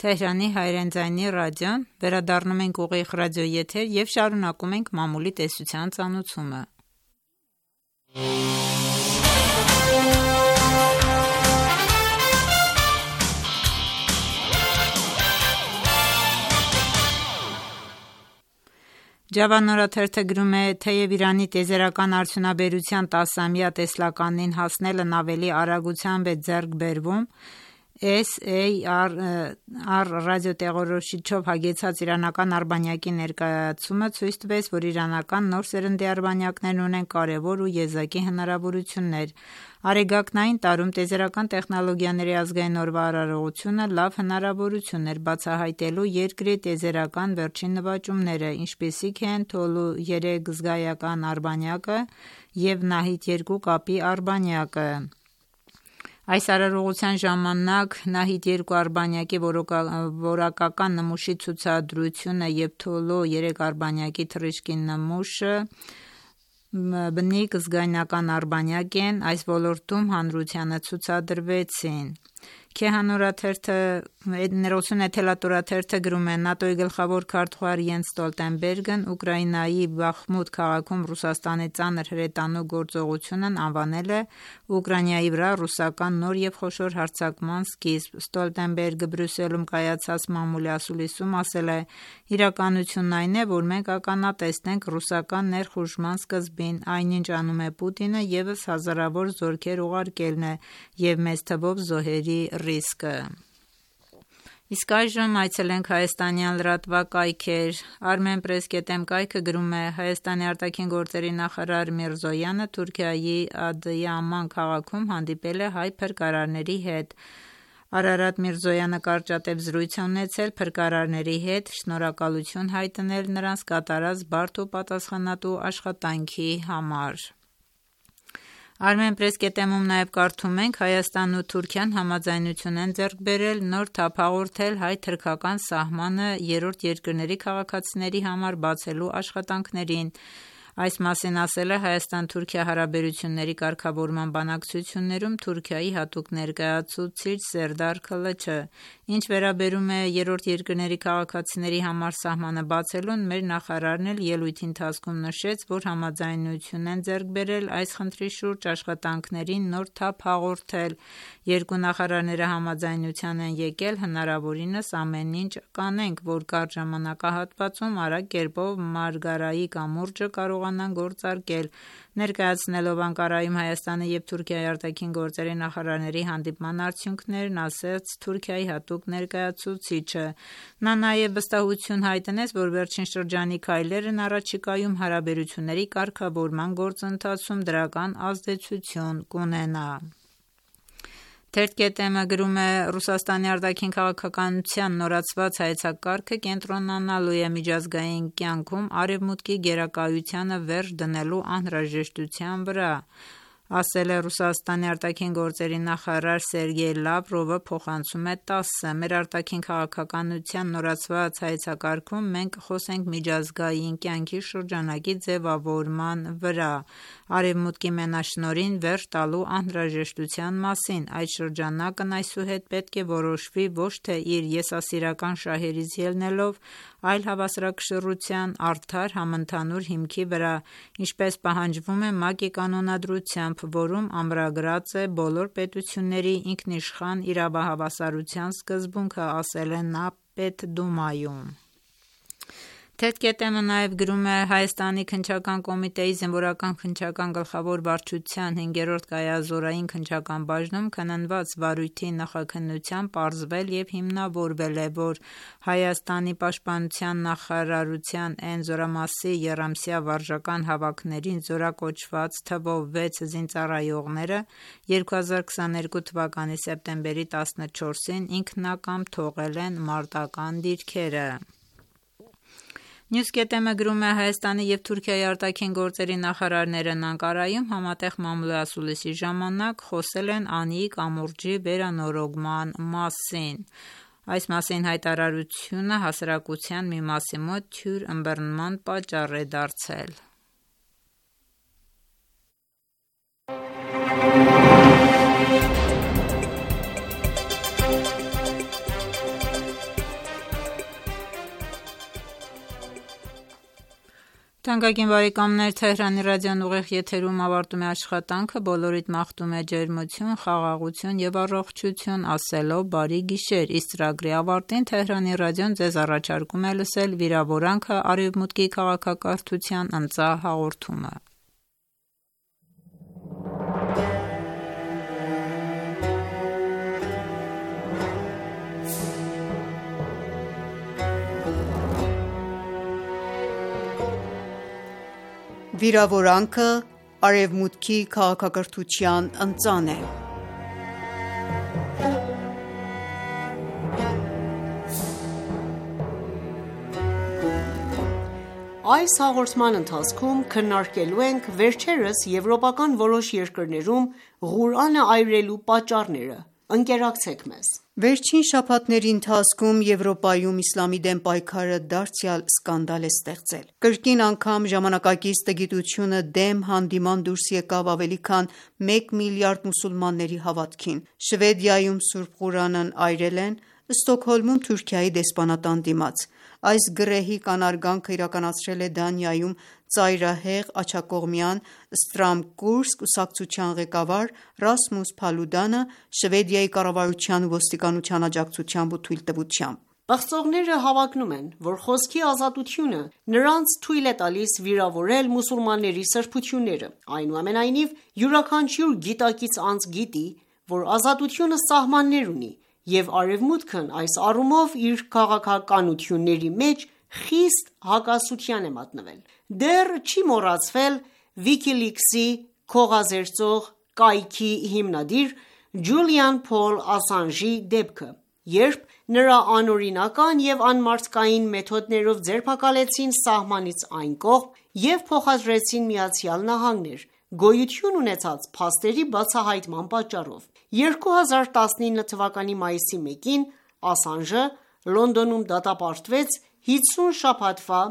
Թեհրանի հայրեն ձայնի ռադիոն, վերադառնում ենք ուղիղ ռադիոեթեր և շարունակում ենք մամուլի տեսության ծանուցումը։ Ջավան օրաթերթը գրում է, թեև Իրանի տիեզերական արդյունաբերության 10-ամյա տեսլականին հասնելն ավելի արագությամբ է ձեռք բերվում, SAR ռադիոտեղորոշիչով հագեցած իրանական արբանյակի ներկայացումը ցույց տվեց, որ իրանական նոր սերնդի արբանյակներն ունեն կարևոր ու եզակի հնարավորություններ։ Արեգակնային տարում տիեզերական տեխնոլոգիաների ազգային օրվա արարողությունը լավ հնարավորություն էր բացահայտելու երկրի տիեզերական վերջին նվաճումները, ինչպիսիք են Թոլու 3 զգայական արբանյակը և Նահիդ-2 կապի արբանյակը։ Այս արարողության ժամանակ Նահիդ-2 արբանյակի որակական նմուշի ցուցադրությունը և Թոլու 3 արբանյակի թռիչքի նմուշը բնիկ զգայնական արբանյակ են, այս ոլորտում հանրությանը ցուցադրվեցին։ Քեհան էթելատորաթերթը գրում է. ՆԱՏՕ-ի գլխավոր քարտուղար Յենս Ստոլտենբերգն Ուկրաինայի Բախմուտ քաղաքում Ռուսաստանի ծանր հրետանու գործողությունն անվանել է Ուկրաինայի վրա ռուսական նոր և խոշոր հարձակման սկիզբ։ Ստոլտենբերգը Բրյուսելում կայացած մամուլի ասուլիսում ասել է. «Իրականությունն այն է, որ մենք ականատեսն ենք ռուսական ներխուժման սկզբին, այնինչ անում է Պուտինը ևս հազարավոր զորքեր ուղարկելն է և մեծ թվով զոհերի ռիսկը»։ Իսկ այժմ այցելենք հայաստանյան լրատվակայքեր։ Armenpress.am կայքը գրում է. Հայաստանի արտաքին գործերի նախարար Միրզոյանը Թուրքիայի Ադիաման քաղաքում հանդիպել է հայ փրկարարների հետ։ Արարատ Միրզոյանը կարճատև զրույց է ունեցել փրկարարների հետ, շնորհակալություն հայտնել նրանց կատարած բարդ ու պատասխանատու աշխատանքի համար։ Armenpress.am-ում նաև կարդում ենք. Հայաստանն ու Թուրքիան համաձայնություն են ձեռք բերել նոր թափ հաղորդել հայ-թուրքական սահմանը երրորդ երկրների քաղաքացիների համար բացելու աշխատանքներին։ Այս մասին ասել է Հայաստան-Թուրքիա հարաբերությունների կարգավորման բանակցություններում Թուրքիայի հատուկ ներկայացուցիչ Սերդար Քլչը։ Ինչ վերաբերում է երրորդ երկրների քաղաքացիների համար սահմանը բացելուն, մեր նախարարն էլ ելույթի ընթացքում նշեց, որ համաձայնություն են ձեռք բերել այս խնդրի շուրջ աշխատանքներին նոր թափ հաղորդել։ Երկու նախարարները համաձայնության են եկել հնարավորինս ամեն ինչ կանենք, որ կարճ ժամանակահատվածում արագ կերպով Մարգարայի կամուրջը կարողանան գործարկել։ Ներկայացնելով Անկարայում Հայաստանի և Թուրքիայի արտաքին գործերի նախարարների հանդիպման արդյունքներն, ասաց Թուրքիայի հատուկ ներկայացուցիչը։ Նա նաև վստահություն հայտնեց, որ վերջին շրջանի քայլերն առաջիկայում հարաբերությունների կարգավորման գործընթացում դրական ազդեցություն կունենա։ Թերթ.am-ը գրում է. Ռուսաստանի արտաքին քաղաքականության նորացված հայեցակարգը կենտրոնանալու է միջազգային կյանքում Արևմուտքի գերակայությանը վերջ դնելու անհրաժեշտության վրա, ասել է Ռուսաստանի արտաքին գործերի նախարար Սերգեյ Լավրովը, փոխանցում է ՏԱՍՍ-ը. Մեր արտաքին քաղաքականության նորացված հայեցակարգում մենք խոսենք միջազգային կյանքի շրջանակի ձևավորման վրա, Արևմուտքի մենաշնորհին վերջ տալու անհրաժեշտության մասին։ Այդ շրջանակն այսուհետ պետք է որոշվի ոչ թե իր եսասիրական շահերից ելնելով, այլ հավասարակշռության արդար համընդհանուր հիմքի վրա, ինչպես պահանջվում է ՄԱԿ-ի կանոնադրությամբ, որում ամրագրած է բոլոր պետությունների ինքնիշխան իրավահավասարության սկզբունքը, ասել է նա Պետդումայում։ Թերթ.am-ը նաև գրում է. Հայաստանի քննչական կոմիտեի զինվորական քննչական գլխավոր վարչության 5-րդ կայազորային քննչական բաժնում քննված վարույթի նախաքննությամբ պարզվել և հիմնավորվել է, որ Հայաստանի պաշտպանության նախարարության N զորամասի եռամսյա վարժական հավաքներին զորակոչված թվով 6 զինծառայողները 2022 թվականի սեպտեմբերի 14-ին ինքնակամ թողել են մարտական դիրքերը։ News.am-ը գրում է. Հայաստանի և Թուրքիայի արտաքին գործերի նախարարներն Անկարայում համատեղ մամուլի ասուլիսի ժամանակ խոսել են Անիի կամուրջի վերանորոգման մասին։ Այս մասին հայտարարությունը հասարակության մի մասի մոտ թյուր ըմբռնման պատճառ է դարձել։ Թանկագին բարեկամներ, Թեհրանի ռադիոն ուղիղ եթերում ավարտում է աշխատանքը, բոլորիդ մաղթում է ջերմություն, խաղաղություն և առողջություն, ասելով բարի գիշեր։ Իսկ ծրագրի ավարտին Թեհրանի ռադիոն ձեզ առաջարկում է լսել վիրավորանքը Արևմուտքի քաղաքակրթության ընծահաղորդումը։ Վիրավորանքը Արևմուտքի քաղաքակրթության ընծան է։ Այս հաղորդման ընթացքում քննարկելու ենք վերջերս եվրոպական որոշ երկրներում Ղուրանը այրելու պատճառները։ Ընկերակցեք մեզ։ Վերջին շաբաթների ընթացքում Եվրոպայում իսլամի դեմ պայքարը դարձյալ սկանդալ է ստեղծել։ Կրկին անգամ ժամանակակից տգիտությունը դեմ հանդիման դուրս եկավ ավելի քան 1 միլիարդ մուսուլմանների հավատքին։ Շվեդիայում Սուրբ Ղուրանն այրել են, Ստոկհոլմում Թուրքիայի դեսպանատան դիմաց։ Այս գրեհի կանարգանքը իրականացրել է Դանիայում ծայրահեղ աջակողմյան Ստրամկուրս կուսակցության ղեկավար Ռասմուս Փալուդանը Շվեդիայի կառավարության ու ոստիկանության աջակցությամբ ու թույլտվությամբ։ Պղծողները հավակնում են, որ խոսքի ազատությունը նրանց թույլ է տալիս վիրավորել մուսուլմանների սրբությունները։ Այնուամենայնիվ, յուրաքանչյուր գիտակից անձ գիտի, որ ազատությունը սահմաններ ունի, և Արևմուտքն այս առումով իր քաղաքականությունների մեջ խիստ հակասության է մատնվել։ Դեռ չի մոռացվել WikiLeaks-ի քողազերծող կայքի հիմնադիր Ջուլիան Փոլ Ասանժի դեպքը, երբ նրա անօրինական և անմարդկային մեթոդներով ձերբակալեցին սահմանից այն կողմ և փոխադրեցին ԱՄՆ գոյություն ունեցած փաստերի բացահայտման պատճառով։ 2019 թվականի մայիսի 1-ին Ասանժը Լոնդոնում դատապարտվեց 50 շաբաթվա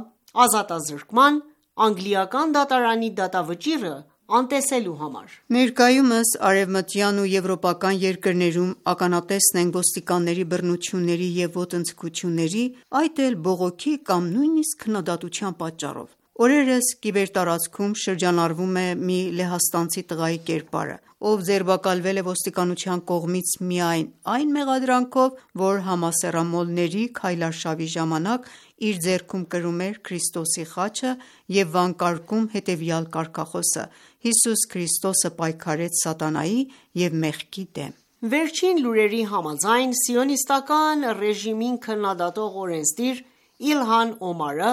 ազատազրկման՝ անգլիական դատարանի դատավճիռը անտեսելու համար։ Ներկայումս արևմտյան ու եվրոպական երկրներում ականատեսն ենք ոստիկանների բռնությունների և ոտնձգությունների, այդ էլ բողոքի կամ նույնիսկ քննադատության պատճառով։ Օրերս կիբերտարածքում շրջանառվում է մի լեհաստանցի տղայի կերպարը, ով ձերբակալվել է ոստիկանության կողմից միայն այն մեղադրանքով, որ համասեռամոլների քայլարշավի ժամանակ իր ձեռքում կրում էր Քրիստոսի խաչը և վանկարկում հետևյալ կարգախոսը. «Հիսուս Քրիստոսը պայքարեց սատանայի և մեղքի դեմ»։ Վերջին լուրերի համաձայն, սիոնիստական ռեժիմին քննադատող օրենսդիր Իլհան Օմարը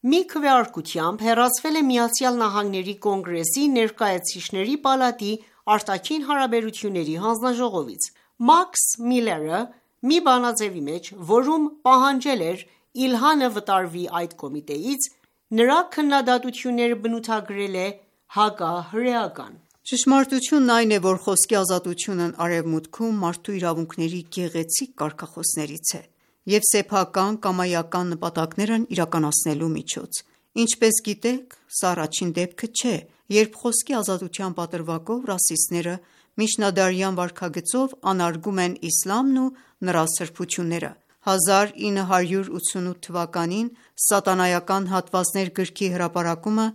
մի քվեարկությամբ հեռացվել է ԱՄՆ Կոնգրեսի Ներկայացուցիչների պալատի արտաքին հարաբերությունների հանձնաժողովից։ Մաքս Միլլերը մի բանաձևի մեջ, որում պահանջել էր Իլհանը վտարվի այդ կոմիտեից, նրա քննադատությունները բնութագրել է հակահրեական։ Ճշմարտությունն այն է, որ խոսքի ազատությունն Արևմուտքում մարդու իրավունքների գեղեցիկ կարգախոսներից է և սեփական կամայական նպատակներն իրականացնելու միջոց։ Ինչպես գիտեք, սա առաջին դեպքը չէ, երբ խոսքի ազատության պատրվակով ռասիստները միջնադարյան վարքագծով անարգում են իսլամն ու նրա սրբությունները։ 1988 թվականին «Սատանայական հատվածներ» գրքի հրապարակումը,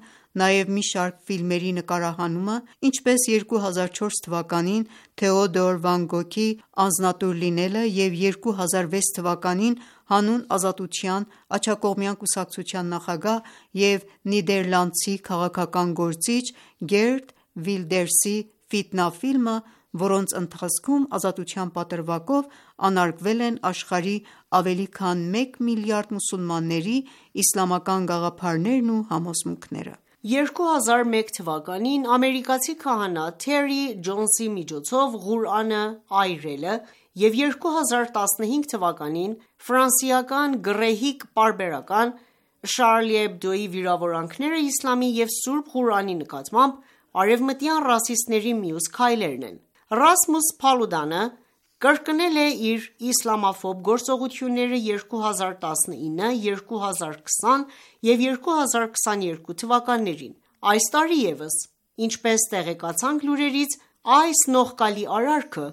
նաև մի շարք ֆիլմերի նկարահանումը, ինչպես 2004 թվականին Թեոդոր Վան Գոգի «Անձնատուր լինելը» և 2006 թվականին հանուն ազատության աջակողմյան կուսակցության նախագահ և նիդերլանդցի քաղաքական գործիչ Գերտ Վիլդերսի «Ֆիտնա» ֆիլմը, որոնց ընթացքում ազատության պատրվակով անարգվել են աշխարհի ավելի քան 1 միլիարդ մուսուլմանների իսլամական գաղափարներն ու համոզմունքները։ 2001 թվականին ամերիկացի քահանա Թերի Ջոնսի միջոցով Ղուրանը այրելը և 2015 թվականին ֆրանսիական գռեհիկ պարբերական Շարլի Էբդոյի վիրավորանքները իսլամի և Սուրբ Ղուրանի նկատմամբ արևմտյան ռասիստների մյուս քայլերն են։ Ռասմուս Փալուդանը կրկնել է իր իսլամաֆոբ գործողությունները 2019, 2020 և 2022 թվականներին։ Այս տարի ևս, ինչպես տեղեկացանք լուրերից, այս նողկալի արարքը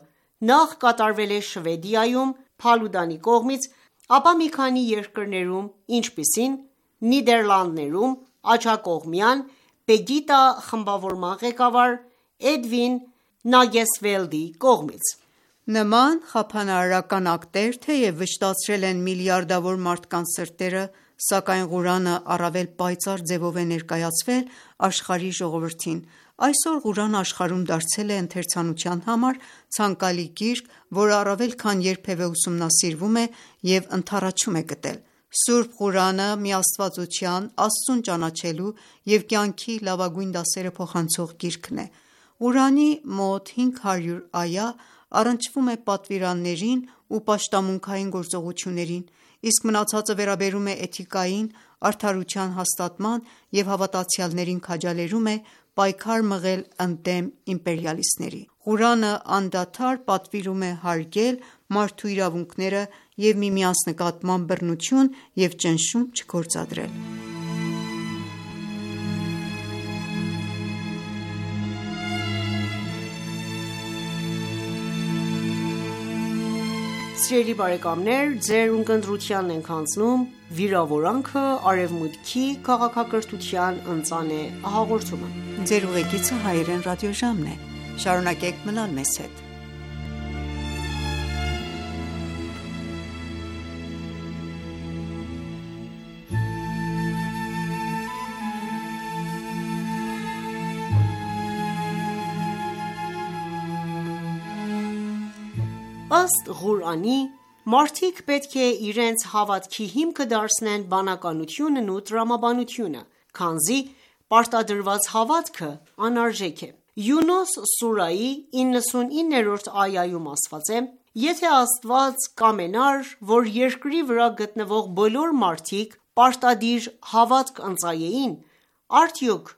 նախ կատարվել է Շվեդիայում Փալուդանի կողմից, ապա մի քանի երկրներում, ինչպիսին Նիդերլանդներում աջակողմյան Պեգիտա խմբավորման ղեկավար Էդվին Նագեսվելդի կողմից։ Նման խափանարարական ակտեր թեև վշտացրել են միլիարդավոր մարդկանց սրտերը, սակայն Ղուրանը առավել պայծառ ձևով է ներկայացվել աշխարհի ժողովրդին։ Այսօր Ղուրանը աշխարհում դարձել է ընթերցանության համար ցանկալի գիրք, որը առավել քան երբևէ ուսումնասիրվում է և ընդառաջում է գտել։ Սուրբ Ղուրանը միաստվածության, Աստծուն ճանաչելու և կյանքի լավագույն դասերը փոխանցող գիրքն է։ Ղուրանի մոտ 500 այա առնչվում է պատվիրաններին ու պաշտամունքային գործողություններին, իսկ մնացածը վերաբերում է էթիկային, արդարության հաստատման և հավատացյալներին քաջալերում է պայքար մղել ընդդեմ իմպերիալիստների։ Ղուրանը անդադար պատվիրում է հարգել մարդու իրավունքները և միմյանց նկատմամբ բռնություն և ճնշում չգործադրել։ Սիրելի բարեկամներ, ձեր ունկնդրությանն ենք հանձնում «Վիրավորանքը. Արևմուտքի քաղաքակրթության ընծանե հաղորդումը»։ Ձեր ուղեկիցը Հայերեն ռադիոժամն է։ Շարունակեք մնալ մեզ հետ։ Ըստ Ղուրանի, մարդիկ պետք է իրենց հավատքի հիմքը դարձնեն բանականությունն ու տրամաբանությունը, քանզի պարտադրված հավատքը անարժեք է։ Յունուս սուրայի 99-րդ այայում ասված է. «Եթե Աստված կամենար, որ երկրի վրա գտնվող բոլոր մարդիկ պարտադիր հավատք ընծայեին, արդյոք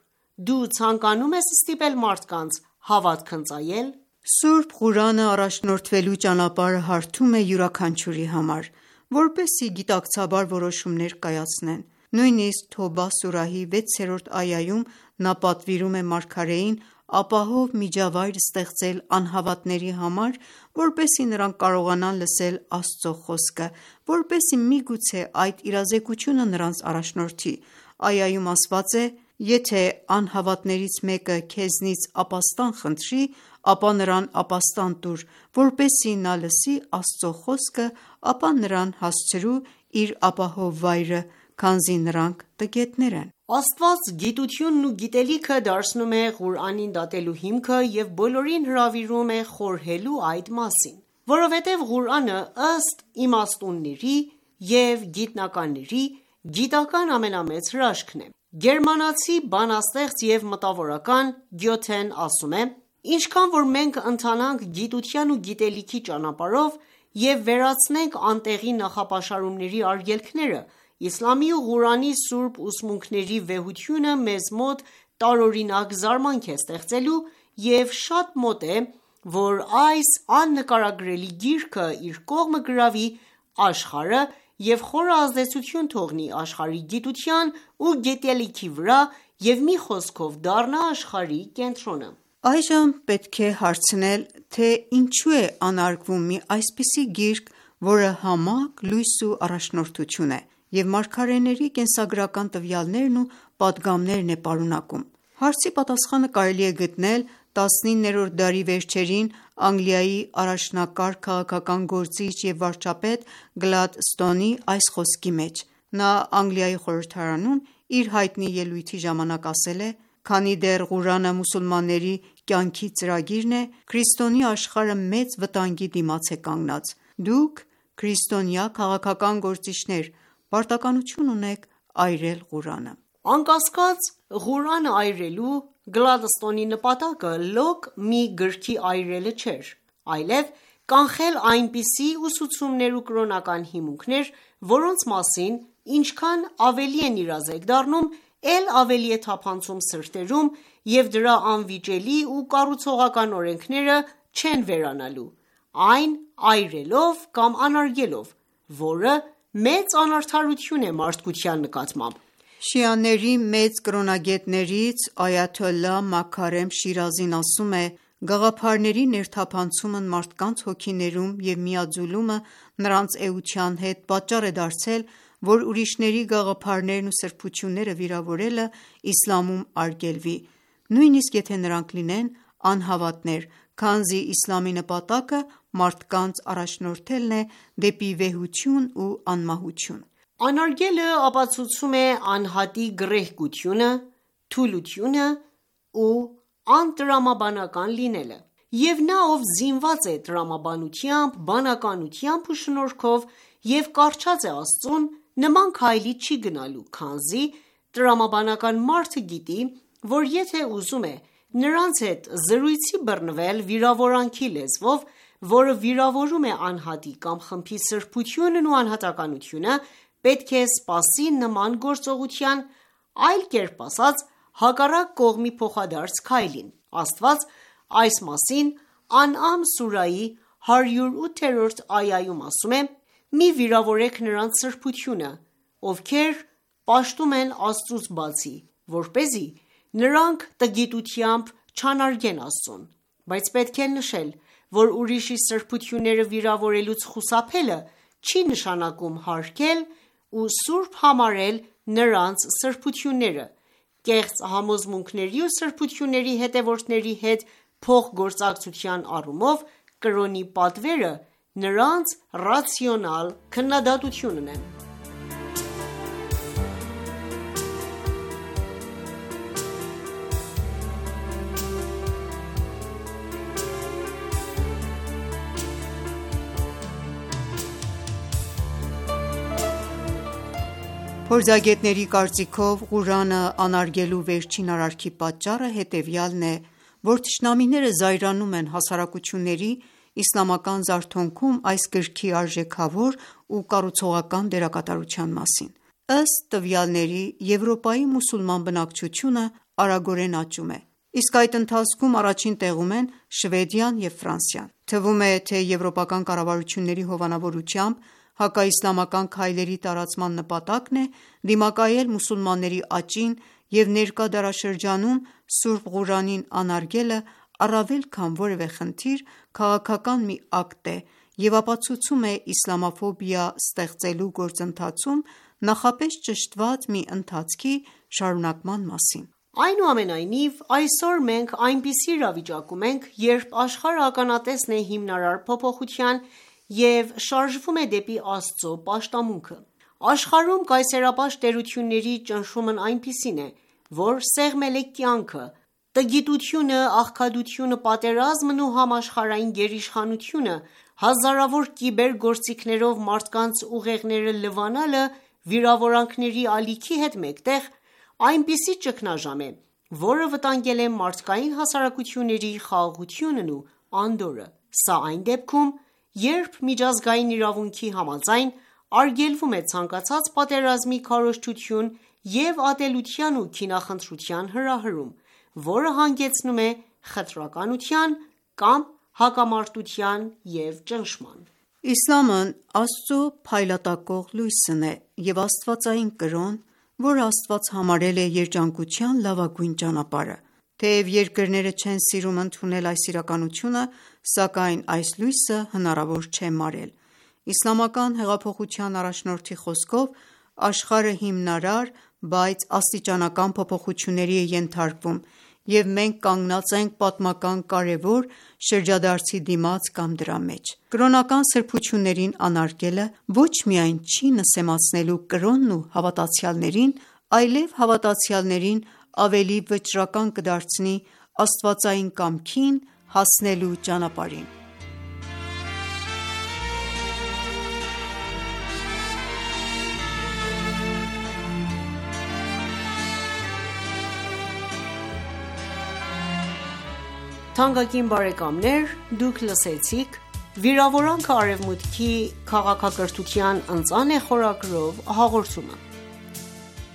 դու ցանկանում ես ստիպել մարդկանց հավատք ընծայել»։ Սուրբ Ղուրանը առաջնորդվելու ճանապարհը հարթում է յուրաքանչյուրի համար, որպեսզի գիտակցաբար որոշումներ կայացնեն։ Նույնիսկ Թոբա սուրահի 6-րդ այայում նա պատվիրում է մարգարեին ապահով միջավայր ստեղծել անհավատների համար, որպեսզի նրանք կարողանան լսել Աստծո խոսքը, որպեսզի միգուցե այդ իրազեկությունը նրանց առաջնորդի։ Այայում ասված է. «Եթե անհավատներից մեկը քեզնից ապաստան խնդրի, ապա նրան ապաստան տուր, որպեսզի նա լսի Աստծո խոսքը, ապա նրան հասցրու իր ապահով վայրը, քանզի նրանք տգետներ են»։ Աստված գիտությունն ու գիտելիքը դարձնում է Ղուրանին դատելու հիմքը և բոլորին հրավիրում է խորհելու այդ մասին, որովհետև Ղուրանը ըստ իմաստունների և գիտնականների գիտական ամենամեծ հրաշքն է։ Գերմանացի բանաստեղծ և մտավորական Գյոթեն ասում է. Ինչքան որ մենք ընթանանք գիտության ու գիտելիքի ճանապարհով և վերացնենք անտեղի նախապաշարումների արգելքները, իսլամի ու Ղուրանի սուրբ ուսմունքների վեհությունը մեզ մոտ տարօրինակ զարմանք է ստեղծելու և շատ մոտ է, որ այս աննկարագրելի գիրքը իր կողմը գրավի աշխարհը և խորը ազդեցություն թողնի աշխարհի գիտության ու գիտելիքի վրա և մի խոսքով դառնա աշխարհի կենտրոնը: Այժմ պետք է հարցնել, թե ինչու է անարգվում մի այսպիսի գիրք, որը համակ լույս ու առաջնորդություն է և մարգարեների կենսագրական տվյալներն ու պատգամներն է պարունակում: Հարցի պատասխանը կարելի է գտնել 19-րդ դարի վերջերին Անգլիայի առաջնակարգ քաղաքական գործիչ և վարչապետ Գլադստոնի այս խոսքի մեջ: Նա Անգլիայի խորհրդարանում իր հայտնի ելույթի ժամանակ ասել է. «Քանի դեռ Ղուրանը մուսուլմանների կյանքի ծրագիրն է, քրիստոնյա աշխարհը մեծ վտանգի դիմաց է կանգնած: Դուք քրիստոնյա քաղաքական գործիչներ, պարտականություն ունեք այրել Ղուրանը»: Անկասկած, Ղուրանը այրելու Գլադստոնի նպատակը լոկ մի գրքի այրելը չէր, այլև կանխել այնպիսի ուսուցումներ ու կրոնական հիմունքներ, որոնց մասին ինչքան ավելի են իրազեկ դառնում, էլ ավելի է թափանցում սրտերում և դրա անվիճելի ու կառուցողական օրենքները չեն վերանալու, այն այրելով կամ անարգելով, որը մեծ անարդարություն է մարդկության նկատմամբ: Շիաների մեծ կրոնագետներից Այաթոլլահ Մաքարեմ Շիրազին ասում է. «Գաղափարների ներթափանցումն մարդկանց հոգիներում և միաձուլումը նրանց էության հետ պատճառ է դարձել, որ ուրիշների գաղափարներն ու սրբությունները վիրավորելը իսլամում արգելվի, նույնիսկ եթե նրանք լինեն անհավատներ, քանզի իսլամի նպատակը մարդկանց առաջնորդելն է դեպի վեհություն ու անմահություն»: Անարգելը ապացուցում է անհատի գռեհկությունը, թուլությունը ու անտրամաբանական լինելը: Եվ նա, ով զինված է տրամաբանությամբ, բանականությամբ ու շնորհքով և կառչած է Աստծուն, նման քայլի չի գնալու, քանզի տրամաբանական մարդը գիտի, որ եթե ուզում է նրանց հետ զրույցի բռնվել վիրավորանքի լեզվով, որը վիրավորում է անհատի կամ խմբի սրբությունն ու անհատականությունը, պետք է սպասի նման գործողության, այլ կերպ ասած, հակառակ կողմի փոխադարձ քայլին: Աստված այս մասին Անըամ սուրայի 108-րդ այայում ասում է. «Մի վիրավորեք նրանց սրբությունը, ովքեր պաշտում են Աստծուց բացի, որպեսզի նրանք տգիտությամբ չանարգեն Աստծուն: Բայց պետք է նշել, որ ուրիշի սրբությունները վիրավորելուց խուսափելը չի նշանակում հարգել ու սուրբ համարել նրանց սրբությունները: Կեղծ համոզմունքների ու սրբությունների հետևորդների հետ փոխգործակցության առումով կրոնի պատվերը նրանց ռացիոնալ քննադատությունն է»: Փորձագետների կարծիքով, Ղուրանը անարգելու վերջին արարքի պատճառը հետևյալն է, որ թշնամիները զայրանում են հասարակությունների իսլամական զարթոնքում այս գրքի արժեքավոր ու կառուցողական դերակատարության մասին: Ըստ տվյալների, Եվրոպայի մուսուլման բնակչությունը արագորեն աճում է, իսկ այդ ընթացքում առաջին տեղում են Շվեդիան և Ֆրանսիան: Թվում է, թե եվրոպական կառավարությունների հովանավորությամբ հակաիսլամական քայլերի տարածման նպատակն է դիմակայել մուսուլմանների աճին և ներկա դարաշրջանում սուրբ Ղուրանին անարգելը առավել քան որևէ խնդիր քաղաքական մի ակտ է և ապացուցում է իսլամաֆոբիա ստեղծելու գործընթացում նախապես ճշտված մի ընթացքի շարունակման մասին: Այնուամենայնիվ, այսօր մենք այնպիսի իրավիճակում ենք, երբ աշխարհը ականատեսն է հիմնարար փոփոխության և շարժվում է դեպի Աստծո պաշտամունքը: Աշխարհում կայսերապաշտ տերությունների ճնշումն այնպիսին է, որ սեղմել է կյանքը, տգիտությունը, աղքատությունը, պատերազմն ու համաշխարհային գերիշխանությունը, հազարավոր կիբեր գործիքներով մարդկանց ուղեղները լվանալը վիրավորանքների ալիքի հետ մեկտեղ, այնպիսի ճգնաժամ է, որը վտանգել է մարդկային հասարակությունների խաղաղությունն ու անդորրը։ Սա այն դեպքում, երբ միջազգային իրավունքի համաձայն արգելվում է ցանկացած պատերազմի քարոզչություն և ատելության ու քինախնդրության հրահրում, որը հանգեցնում է խտրականության կամ հակամարտության և ճնշման: Իսլամն Աստծո փայլատակող լույսն է և աստվածային կրոն, որը Աստված համարել է երջանկության լավագույն ճանապարհը: Թեև երկրները չեն սիրում ընդունել այս իրականությունը, սակայն այս լույսը հնարավոր չէ մարել: Իսլամական հեղափոխության առաջնորդի խոսքով, աշխարհը հիմնարար, բայց աստիճանական փոփոխությունների է ենթարկվում, և մենք կանգնած ենք պատմական կարևոր շրջադարձի դիմաց կամ դրա մեջ: Կրոնական սրբություններին անարգելը ոչ միայն չի նսեմացնելու կրոնն ու հավատացյալներին, այլև հավատացյալներին ավելի վճռական կդարձնի աստվածային կամքին հասնելու ճանապարհին: «Վիրավորանքը Արևմուտքի քաղաքակրթության ընծան է» խորագրով հաղորդումը: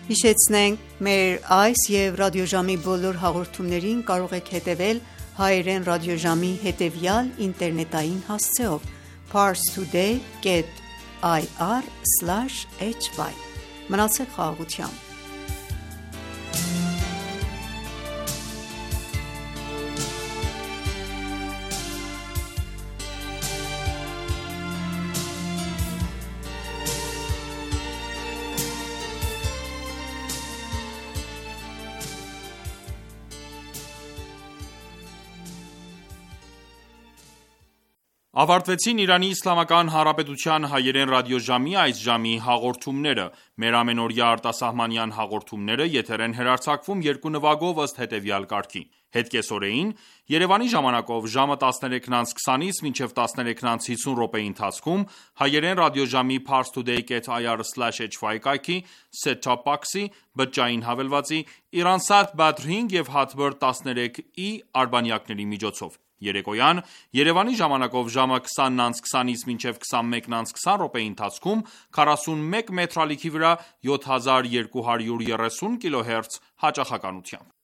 Հիշեցնենք մեր այս և ռադիոժամի բոլոր հաղորդումներին կարող եք հետևել հայերեն ռադիոժամի հետևյալ ինտերնետային հասցեով՝ parstoday.ir/hy: Մնացեք խաղաղությամբ: Ավարտվեցին Իրանի Իսլամական Հանրապետության հայերեն ռադիոժամի այս ժամի հաղորդումները: Մեր ամենօրյա արտասահմանյան հաղորդումները եթեր են հեռարձակվում երկու նվագով ըստ հետևյալ կարգի: Հետկեսօրեին Երևանի ժամանակով ժամը 13:20-ից մինչև 13:50 րոպեի ընթացքում հայերեն ռադիոժամի parstoday.ir/hy կայքի set-top box-ի, բջջային հավելվածի, Iransat Badr 5 և Hotbird 13i արբանյակների միջոցով: Երեկոյան Երևանի ժամանակով ժամը 20:20-ից մինչև 21:20 րոպեի ընթացքում 41 մետրալիքի վրա 7230 կՀz հաճախականությամբ: